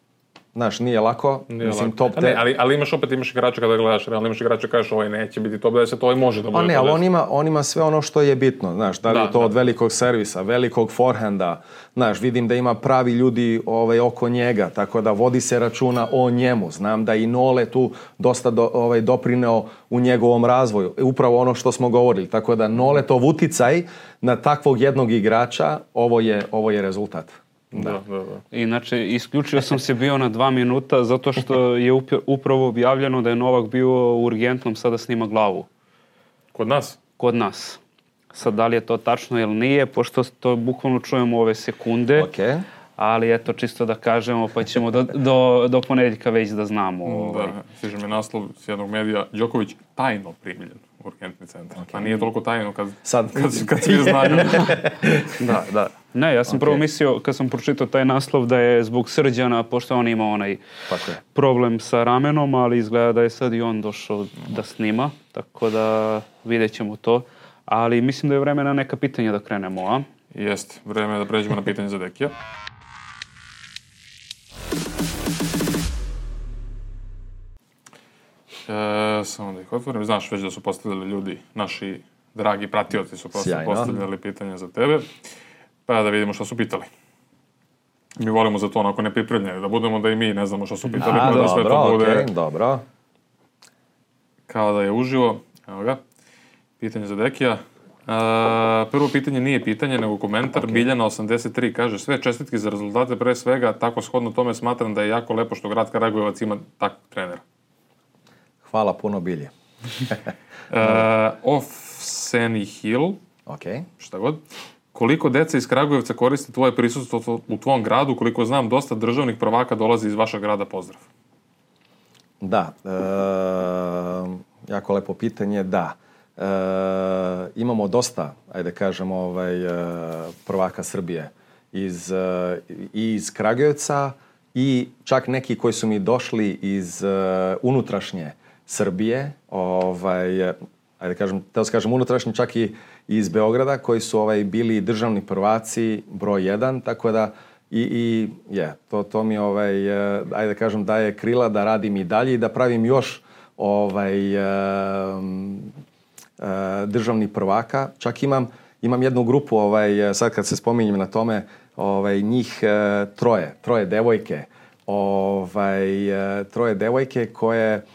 znaš, nije lako. Nije Mislim, lako. top ne, ali, ali imaš opet, imaš igrača kada gledaš, realno imaš igrača kažeš ovaj neće biti top deset, ovaj može da bude pa ne, top ali deset. on ima, on ima sve ono što je bitno, znaš, da li Da, je to da. od velikog servisa, velikog forehanda, znaš, vidim da ima pravi ljudi ovaj, oko njega, tako da vodi se računa o njemu. Znam da i Nole tu dosta do, ovaj, doprineo u njegovom razvoju, upravo ono što smo govorili, tako da Noletov uticaj na takvog jednog igrača, ovo je, ovo je rezultat. Da, da, da. Inače, isključio sam se bio na dva minuta zato što je upr- upravo objavljeno da je Novak bio u urgentnom sada snima glavu. Kod nas? Kod nas. Sad, da li je to tačno ili nije, pošto to bukvalno čujemo ove sekunde. Okay. Ali eto, čisto da kažemo, pa ćemo do, do, do ponedjeljka već da znamo. Ovaj. Da, stiže mi naslov s jednog medija, Đoković tajno primljen u urgentni centar. Okay. Pa nije toliko tajno kad, Sad. kad, kad svi znaju. Da, da. Ne, ja sam okay. prvo mislio, kad sam pročitao taj naslov, da je zbog Srđana, pošto on ima onaj Tako je. problem sa ramenom, ali izgleda da je sad i on došao da snima, tako da vidjet ćemo to. Ali mislim da je vreme na neka pitanja da krenemo, a? Jeste, vreme je da pređemo na pitanje za Dekija. E, samo da ih otvorim. Znaš već da su postavljali ljudi, naši dragi pratioci su postavljali pitanja za tebe. Pa da vidimo što su pitali. Mi volimo za to onako nepripremljeni, da budemo da i mi ne znamo što su pitali. A, da dobro, sve to bude okay, dobro. Kao da je uživo. Evo ga. Pitanje za Dekija. Uh, prvo pitanje nije pitanje, nego komentar. Okay. Biljana osamdeset tri kaže, sve čestitke za rezultate, pre svega, tako shodno tome smatram da je jako lepo što grad Kragujevac ima takvog trenera. Hvala puno, Bilje. uh, off Seni Hill, okay. šta god. Koliko deca iz Kragujevca koriste tvoje prisustvo u tvom gradu, koliko znam, dosta državnih prvaka dolazi iz vašeg grada, pozdrav. Da, e, jako lepo pitanje, da. E, imamo dosta, ajde kažemo, ovaj, prvaka Srbije iz, i iz Kragujevca i čak neki koji su mi došli iz unutrašnje Srbije, ovaj, ajde kažem, teo se kažem unutrašnje, čak i iz Beograda, koji su ovaj, bili državni prvaci broj jedan, tako da i, i yeah, to, to mi ovaj, ajde kažem, daje krila da radim i dalje i da pravim još ovaj, um, uh, državnih prvaka. Čak imam, imam jednu grupu, ovaj, sad kad se spominjem na tome, ovaj, njih uh, troje, troje devojke, ovaj, uh, troje devojke koje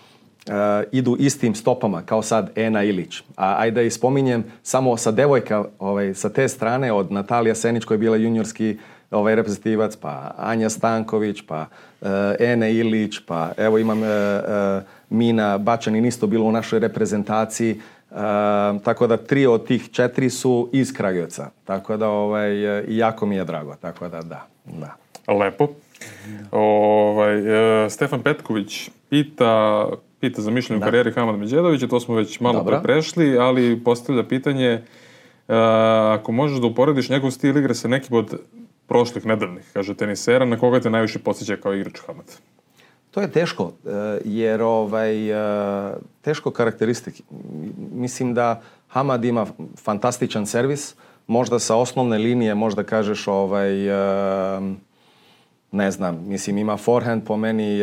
Uh, idu istim stopama kao sad Ena Ilić. A ajde da ispominjem samo sa devojka ovaj, sa te strane od Natalija Senić koja je bila juniorski ovaj, reprezentativac, pa Anja Stanković, pa uh, Ena Ilić, pa evo imam uh, uh, Mina Bačanin isto bilo u našoj reprezentaciji. Uh, tako da tri od tih četiri su iz Kragujevca. Tako da ovaj, uh, jako mi je drago. Tako da da. da. Lepo. Ovaj, uh, Stefan Petković pita Pita za mišljenje u karijeri Hamada Međedovića, to smo već malo pre prešli, ali postavlja pitanje uh, ako možeš da uporediš njegov stil igre sa nekim od prošlih nedavnih, kaže tenisera, na koga te najviše podsjeća kao igrač Hamad? To je teško, jer ovaj, teško karakteristike. Mislim da Hamad ima fantastičan servis, možda sa osnovne linije možda kažeš ovaj, ne znam, mislim ima forehand po meni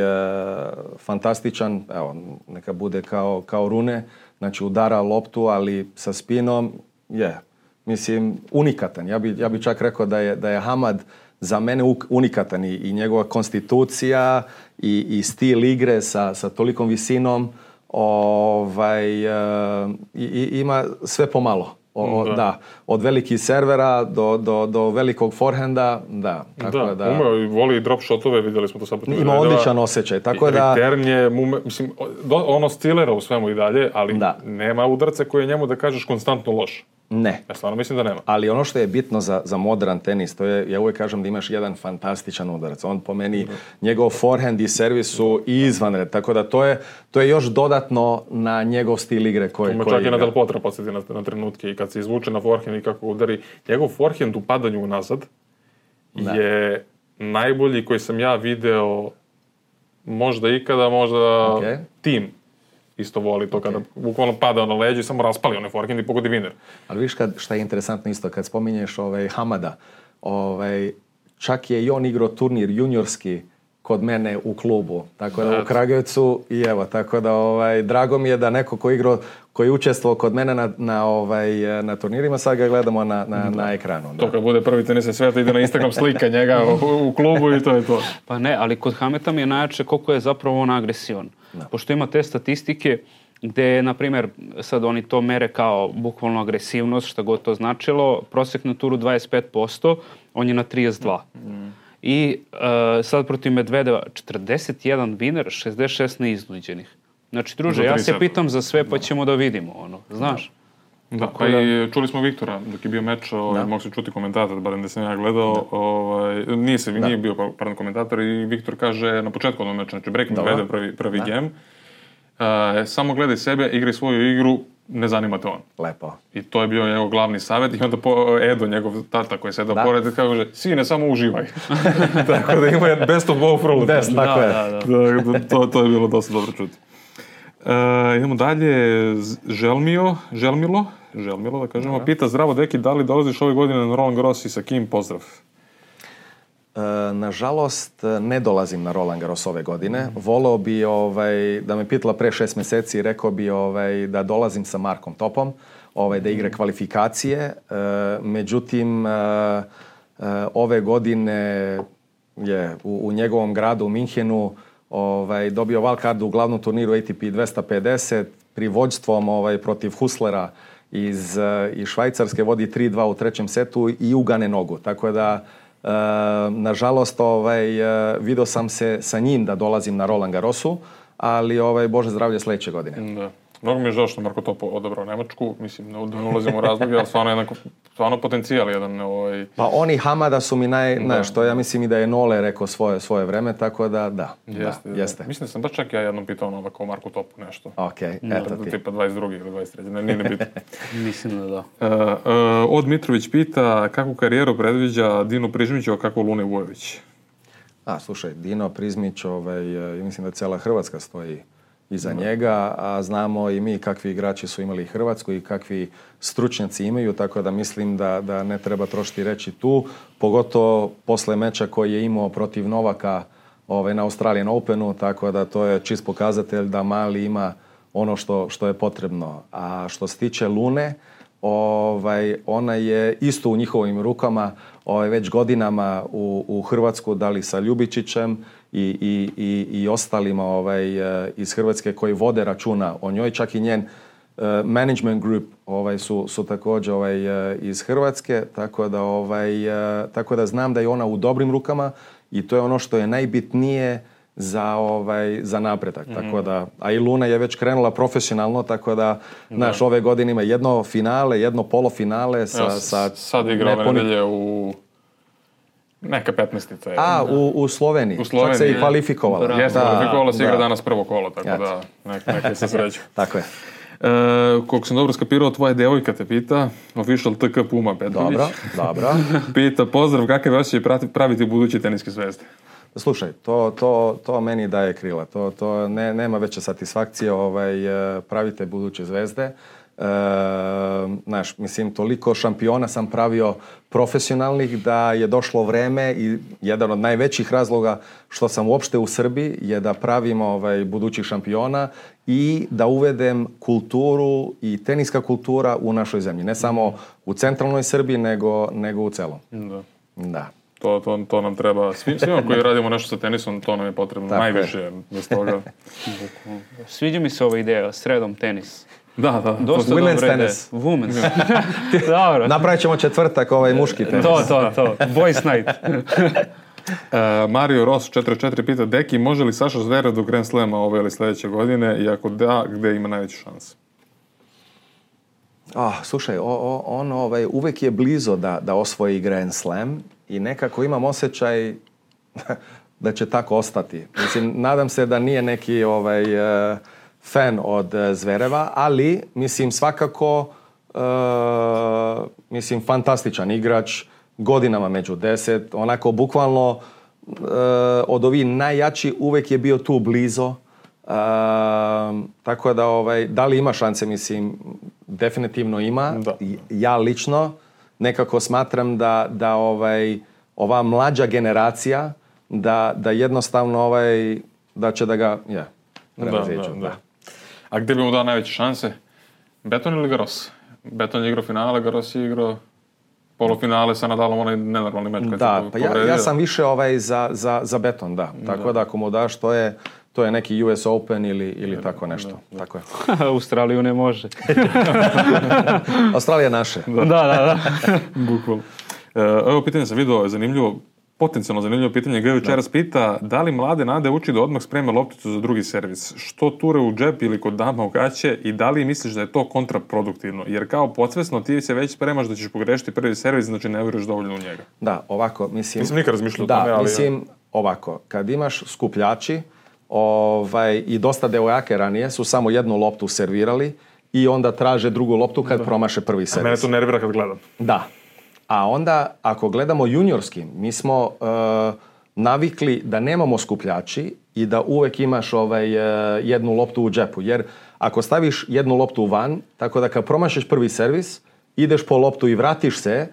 fantastičan, evo neka bude kao, kao Rune, znači udara loptu ali sa spinom je, yeah, mislim unikatan. Ja bi, ja bi čak rekao da je, da je Hamad za mene unikatan i, i njegova konstitucija i, i stil igre sa, sa tolikom visinom ovaj, uh, i, i, ima sve pomalo. O, da. Da, od velikih servera do, do, do velikog forehanda, da. Tako da, da umeo i voli drop shotove, vidjeli smo to sad. Ima odličan osjećaj, tako da... Returnje, mislim, do, ono stilera u svemu i dalje, ali da. Nema udarca koji je njemu da kažeš konstantno loš. Ne. Ja stvarno mislim da nema. Ali ono što je bitno za, za modern tenis, to je, ja uvijek kažem da imaš jedan fantastičan udarac. On po meni, mm. njegov forehand i servis su izvanred, tako da to je, to je još dodatno na njegov stil igre koji igra. Čak i na Del Potro podsjeti na, na trenutke i kad se izvuče na forehand i kako udari. Njegov forehand u padanju unazad da. Je najbolji koji sam ja video možda ikada, možda okay. tim. isto voli to kada bukvalno pada na leđe i samo raspali onaj forehand i pogodi viner. Ali viš kad, šta je interesantno isto, kad spominješ ovaj, Hamada, ovaj, čak je i on igrao turnir juniorski kod mene u klubu, tako da u Kragujevcu i evo, tako da ovaj, drago mi je da neko ko igrao, koji je učestvovao kod mene na, na, ovaj, na turnirima, sad ga gledamo na, na, na ekranu. Da. To kad bude prvi tenis sveta, ide na Instagram slika njega u, u klubu i to je to. Pa ne, ali kod Hameta mi je najjače koliko je zapravo on agresivan. Da. Pošto ima te statistike gde, na primjer, sad oni to mere kao bukvalno agresivnost, šta god to značilo, prosjek na turu dvadeset pet posto, on je na trideset dva. Mm. I uh, sad protiv Medvedeva četrdeset jedan viner, šezdeset šest neiznuđenih. Znači, druže, ja se pitam za sve, pa ćemo da vidimo, ono, znaš? Da, da pa da... i čuli smo Viktora, dok je bio meč, ovaj, mogu se čuti komentator, barem da sam ja gledao, da. ovaj, nije, se, nije bio pardon, komentator i Viktor kaže na početku onog meča, znači break Medvedev prvi, prvi game, uh, samo gledaj sebe, igraj svoju igru, ne zanima te on. Lepo. I to je bio njegov glavni savjet i onda po, Edo, njegov tata koji je sedao pored, kaže, sine, samo uživaj. Tako da ima je best of both worlds. Best, tako je. Da, da, da. To, to je bilo dosta dobro čuti. Uh, idemo dalje, Želmio, Želmilo, Želmilo da kažemo, pita, zdravo deki, da li dolaziš ove godine na Roland Garros i sa kim? Pozdrav. Uh, nažalost, ne dolazim na Roland Garros ove godine. Mm. Voleo bi ovaj, da me pitala pre šest meseci, rekao bi ovaj, da dolazim sa Markom Topom, ovaj, da igra kvalifikacije. Uh, međutim, uh, uh, ove godine je u, u njegovom gradu, u Minhenu, ovaj, dobio wildcard u glavnom turniru A T P dvesta pedeset, pri vođstvom ovaj, protiv Huslera iz, iz Švajcarske, vodi tri dva u trećem setu i ugane nogu. Tako da, e, nažalost, ovaj, video sam se sa njim da dolazim na Roland Garrosu, ali ovaj, Bože zdravlje sledeće godine. Da. Mnogo mi je žao što Marko Top odabrao Nemačku, mislim, ne, ne ulazimo u razloge, ali stvarno, jedan, stvarno potencijal jedan. Ovaj... Pa oni Hamada su mi naj, ne, što ja mislim i da je Nole rekao svoje, svoje vreme, tako da da. Jeste, da, jeste. Mislim da sam baš čak ja jednom pitao ono ovako o Marku Topu nešto. Ok, eto ti. Tipa dvadeset drugi ili dvadeset treći, ne, nije ne bitno. Mislim da da. Uh, uh, Od Mitrović pita kakvu karijeru predviđa Dino Prižmić, a kako Lune Vujović? A, slušaj, Dino Prizmić, ovaj, mislim da cijela Hrvatska stoji iza no. njega, a znamo i mi kakvi igrači su imali Hrvatsku i kakvi stručnjaci imaju, tako da mislim da, da ne treba trošiti reći tu, pogotovo posle meča koji je imao protiv Novaka ovaj, na Australian Openu, tako da to je čist pokazatelj da Mali ima ono što, što je potrebno. A što se tiče Lune, ovaj, ona je isto u njihovim rukama ovaj, već godinama u, u Hrvatsku, da li sa Ljubičićem i, i, i, i ostalima ovaj, iz Hrvatske koji vode računa o njoj, čak i njen uh, management group ovaj, su, su također ovaj, iz Hrvatske, tako da, ovaj, uh, tako da znam da je ona u dobrim rukama i to je ono što je najbitnije za ovaj za napredak. Mm-hmm. Tako da, a i Luna je već krenula profesionalno, tako da, znaš, ove godine ima jedno finale, jedno polufinale sa... Ja, sa sad igra ove neponi... nedelje u neka petnaestica. A, u, u Sloveniji. U Sloveniji. Čak se i kvalifikovala. Jeste, kvalifikovala se igra danas prvo kolo, tako Jat. da nek, neka se sreću. Tako je. E, koliko sam dobro skapirao, tvoja devojka te pita, official T K Puma Petrović. Dobro, dobro. Pita, pozdrav, kakav je osjećaj praviti buduće teniske zvezde? Slušaj, to, to, to meni daje krila. To, to ne, nema veće satisfakcije ovaj, pravite buduće zvezde. E, znaš, mislim, toliko šampiona sam pravio profesionalnih da je došlo vreme i jedan od najvećih razloga što sam uopšte u Srbiji je da pravim ovaj, budućih šampiona i da uvedem kulturu i teniska kultura u našoj zemlji. Ne samo u centralnoj Srbiji, nego, nego u celom. Da. Da. To, to, to nam treba, svim, svima koji radimo nešto sa tenisom, to nam je potrebno tako najviše je. Bez toga. Sviđa mi se ova ideja, sredom tenis. Da, da. Dosta women's tenis. Women's. Dobro. Napravit ćemo četvrtak ovaj muški tenis. To, to, to. Boys night. uh, Mario Ross četiri četiri pita, Deki, može li Saša Zverev do Grand Slema ove ili sljedeće godine i ako da, gde ima najveći šans? Oh, slušaj, o, o, on ovaj, uvek je blizo da, da osvoji Grand Slam i nekako imam osjećaj da će tako ostati. Mislim, nadam se da nije neki ovaj, uh, fan od uh, Zvereva, ali mislim svakako uh, mislim fantastičan igrač, godinama među deset, onako bukvalno uh, od ovih najjači uvek je bio tu blizo. tako da, ovaj, da li ima šanse, mislim, definitivno ima. Da. Ja lično nekako smatram da, da ovaj, ova mlađa generacija, da, da jednostavno ovaj, da će da ga, ja, prevaziđu. Da, da, da. A gdje bi mu dao najveće šanse? Beton ili Garros? Beton je igrao finale, Garros je igrao polufinale sa Nadalom, onaj nenormalni meč. Da, pa ja, ja sam više ovaj za, za, za Beton, da. Tako da. da ako mu daš, to je, to je neki U S Open ili, ili da, tako nešto. Da, da. Tako je. Australiju ne može. Australija naše. Da, da, da. Bukvalno. Evo pitanje sam vidio, zanimljivo, potencijalno zanimljivo pitanje. G. večeras pita da li mlade nade uči da odmah spreme lopticu za drugi servis? Što ture u džep ili kod dama u gaće i da li misliš da je to kontraproduktivno? Jer kao podsvesno ti se već spremaš da ćeš pogrešiti prvi servis, znači ne vjeruješ dovoljno u njega. Da, ovako, mislim... Nisam nikad razmišljao o da, tome, ali... mislim, ovako, kad imaš skupljači ovaj, i dosta devojake ranije su samo jednu loptu servirali i onda traže drugu loptu kad da. promaše prvi servis. A mene to nervira kad gledam. Da. A onda, ako gledamo juniorski, mi smo uh, navikli da nemamo skupljači i da uvek imaš ovaj, uh, jednu loptu u džepu. Jer ako staviš jednu loptu van, tako da kad promašiš prvi servis, ideš po loptu i vratiš se,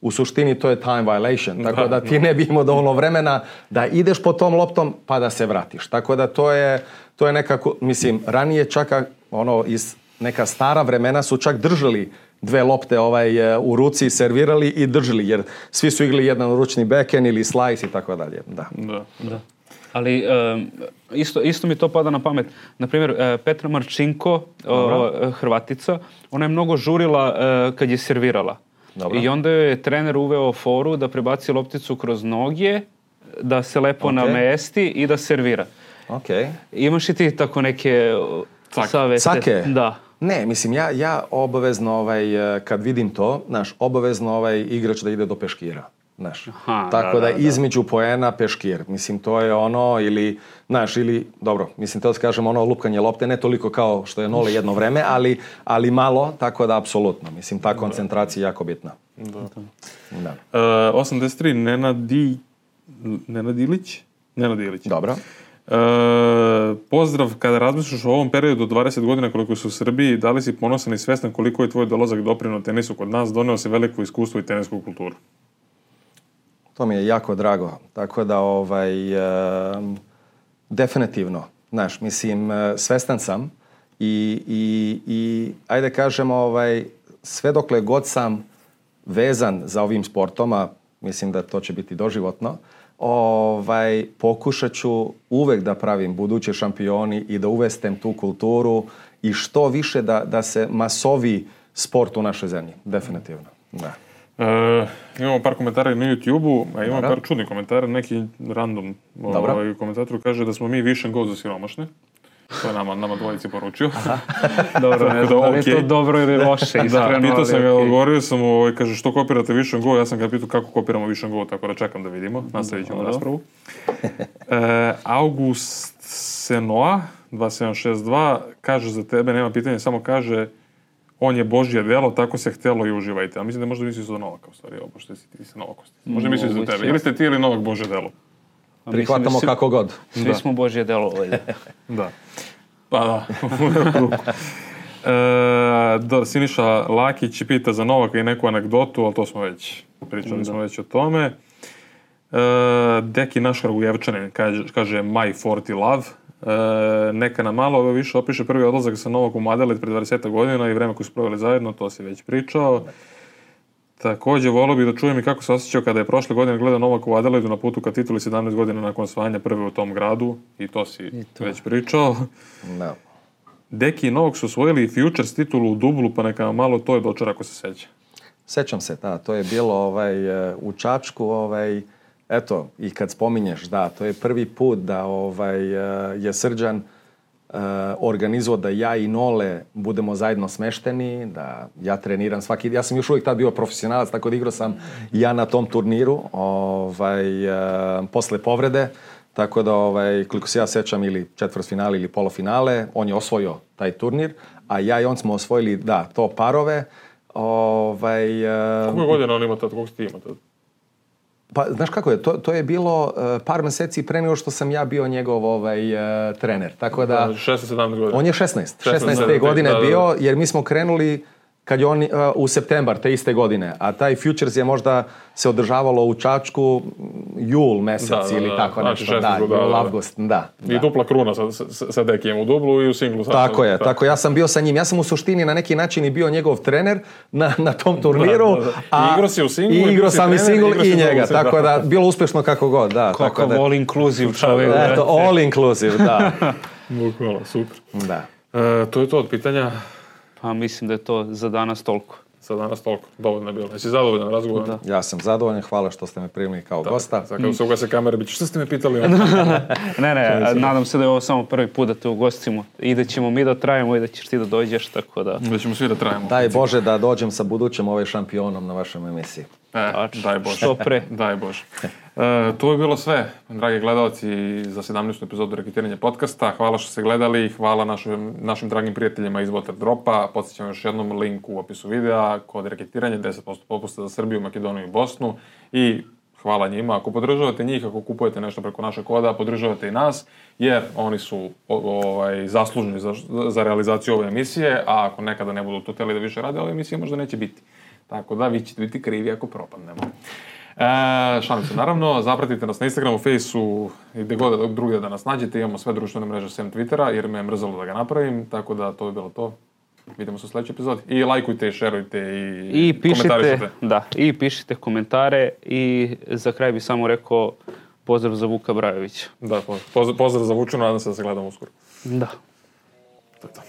u suštini to je time violation. Tako da ti ne bi imao dovoljno vremena da ideš po tom loptom pa da se vratiš. Tako da to je, to je nekako, mislim, ranije čak ono, iz neka stara vremena su čak držali dve lopte ovaj, u ruci, servirali i držali, jer svi su igrali jedan ručni backhand ili slice i tako dalje. Da. Da, da. Ali um, isto, isto mi to pada na pamet. Naprimjer, uh, Petra Marčinko, uh, Hrvatica, ona je mnogo žurila uh, kad je servirala. Dobro. I onda je trener uveo foru da prebaci lopticu kroz noge, da se lepo okay. namesti i da servira. Okay. Imaš i ti tako neke Cake. savete? Cake? Da. Ne, mislim, ja, ja obavezno, ovaj, kad vidim to, znaš, obavezno ovaj igrač da ide do peškira. Znaš. Aha, tako da, da, da, da između poena peškir. Mislim, to je ono, ili, znaš, ili, dobro, mislim, to da kažem, ono lupkanje lopte, ne toliko kao što je nole jedno vreme, ali, ali malo, tako da, apsolutno. Mislim, ta koncentracija je jako bitna. Da. Da. Uh, osamdeset tri, Nenadi, Nenad Ilić? Nenad Ilić. Dobro. Uh, pozdrav, kada razmišljaš o ovom periodu od dvadeset godina koliko su u Srbiji, da li si ponosan i svestan koliko je tvoj dolazak doprineo tenisu kod nas, doneo se veliko iskustvo i tenisku kulturu? To mi je jako drago. Tako da, ovaj, uh, definitivno, znaš, mislim, uh, svestan sam i, i, i ajde kažemo, ovaj, sve dokle god sam vezan za ovim sportom, a mislim da to će biti doživotno, ovaj, pokušat ću uvek da pravim buduće šampioni i da uvestem tu kulturu i što više da, da se masovi sport u našoj zemlji. Definitivno. Da. E, imamo par komentara na YouTube-u, a imamo Dobra. par čudnih komentara, neki random ovaj, komentator kaže da smo mi vision go za siromašne. To je nama, nama dvojici poručio. Dobro, ne znam da li je to dobro ili loše. Da, pitao sam ga, odgovorio sam mu, kaže što kopirate Vision Go, ja sam ga pitao kako kopiramo Vision Go, tako da čekam da vidimo, nastavit ćemo raspravu. E, August Senoa, dva sedam šest dva, kaže za tebe, nema pitanja, samo kaže on je Božje delo, tako se htjelo i uživajte. A mislim da možda misliš za Novaka, u stvari, ovo, pošto si ti se Novakosti. Možda misliš za tebe. Ili ste ti ili Novak Božje delo? Prihvatamo svi, kako god. Svi da. smo Božje delo. Da. Pa da. e, da, Siniša Lakić pita za Novaka i neku anegdotu, ali to smo već, pričali da. smo već o tome. E, Deki naš Kragujevčanin kaže, kaže My forty Love. E, neka nam malo više opiše prvi odlazak sa Novakom u Adelaide pred dvadeset godina i vreme koje su proveli zajedno, to si već pričao. Također, volio bih da čujem i kako se osjećao kada je prošle godine gledao Novak u Adelaidu na putu ka tituli sedamnaest godina nakon osvajanja prve u tom gradu. I to si to. već pričao. No. Deki i Novak su osvojili Futures titulu u dublu, pa neka malo to je dočar ako se seća. Sećam se, da. To je bilo ovaj, u Čačku. Ovaj, eto, i kad spominješ, da, to je prvi put da ovaj, je Srđan Uh, organizuo da ja i Nole budemo zajedno smešteni, da ja treniram svaki... Ja sam još uvijek tad bio profesionalac, tako da igrao sam ja na tom turniru ovaj, uh, posle povrede, tako da, ovaj, koliko se ja sećam, ili četvrtfinale ili polufinale, on je osvojio taj turnir, a ja i on smo osvojili, da, to parove. Ovaj, uh, Koliko godina on ima tad? Koliko si ti ima tad? Pa, znaš kako je, to, to je bilo uh, par meseci pre nego što sam ja bio njegov ovaj, uh, trener. Tako da... šesnaest sedamnaest godina. On je šesnaest. šesnaest te godine da, da, da. bio, jer mi smo krenuli kad je on uh, u septembar te iste godine, a taj Futures je možda se održavalo u Čačku jul mesec da, da, ili da, tako znači nešto. Da, da, jul, avgust, da. I da. dupla kruna sa, sa, sa Dekijem u dublu i u singlu. Sa, tako je, tako. tako ja sam bio sa njim. Ja sam u suštini na neki način i bio njegov trener na, na tom turniru. Da, da, da. I igro si u singlu. I igro sam i singl i njega, tako da bilo uspešno kako god. Da, kako da, all inclusive čovjek. Eto, all inclusive, da. Bukvalno, super. Da. E, to je to od pitanja. Pa mislim da je to za danas toliko. Za danas toliko. Dovoljno je bilo. Jesi zadovoljan razgovorom? Ja sam zadovoljan. Hvala što ste me primili kao da, gosta. Sad kada se ugase kamere, bit će, što ste me pitali? ne, ne, nadam se da je ovo samo prvi put da te ugostimo i da ćemo mi da trajemo i da ćeš ti da dođeš, tako da... Da ćemo svi da trajemo. Daj Bože da dođem sa budućim ovaj šampionom na vašem emisiji. E, daj Bože. Što pre. Daj Bože. E, to je bilo sve, dragi gledalci, za sedamnaestu epizodu Reketiranja podcasta. Hvala što ste gledali, hvala našim, našim dragim prijateljima iz Waterdropa. Podsjećam još jednom link u opisu videa, kod Reketiranja, deset posto popusta za Srbiju, Makedoniju i Bosnu. I hvala njima. Ako podržavate njih, ako kupujete nešto preko našeg koda, podržavate i nas, jer oni su ovaj, zaslužni za, za realizaciju ove emisije, a ako nekada ne budu to teli da više rade, ove emisije možda neće biti. Tako da vi ćete biti krivi ako propadnemo. E, šalim se, naravno, zapratite nas na Instagramu, Faceu i gde god drugdje da nas nađete. Imamo sve društvene mreže sem Twittera, jer me je mrzalo da ga napravim, tako da to je bilo to. Vidimo se u sledećoj epizodi. I lajkujte, i šerujte, i, I pišite, komentarišite. Da, i pišite komentare i za kraj bi samo rekao pozdrav za Vuka Brajovića. Da, pozdrav za Vuču, nadam se da se gledamo uskoro. Da. To je to.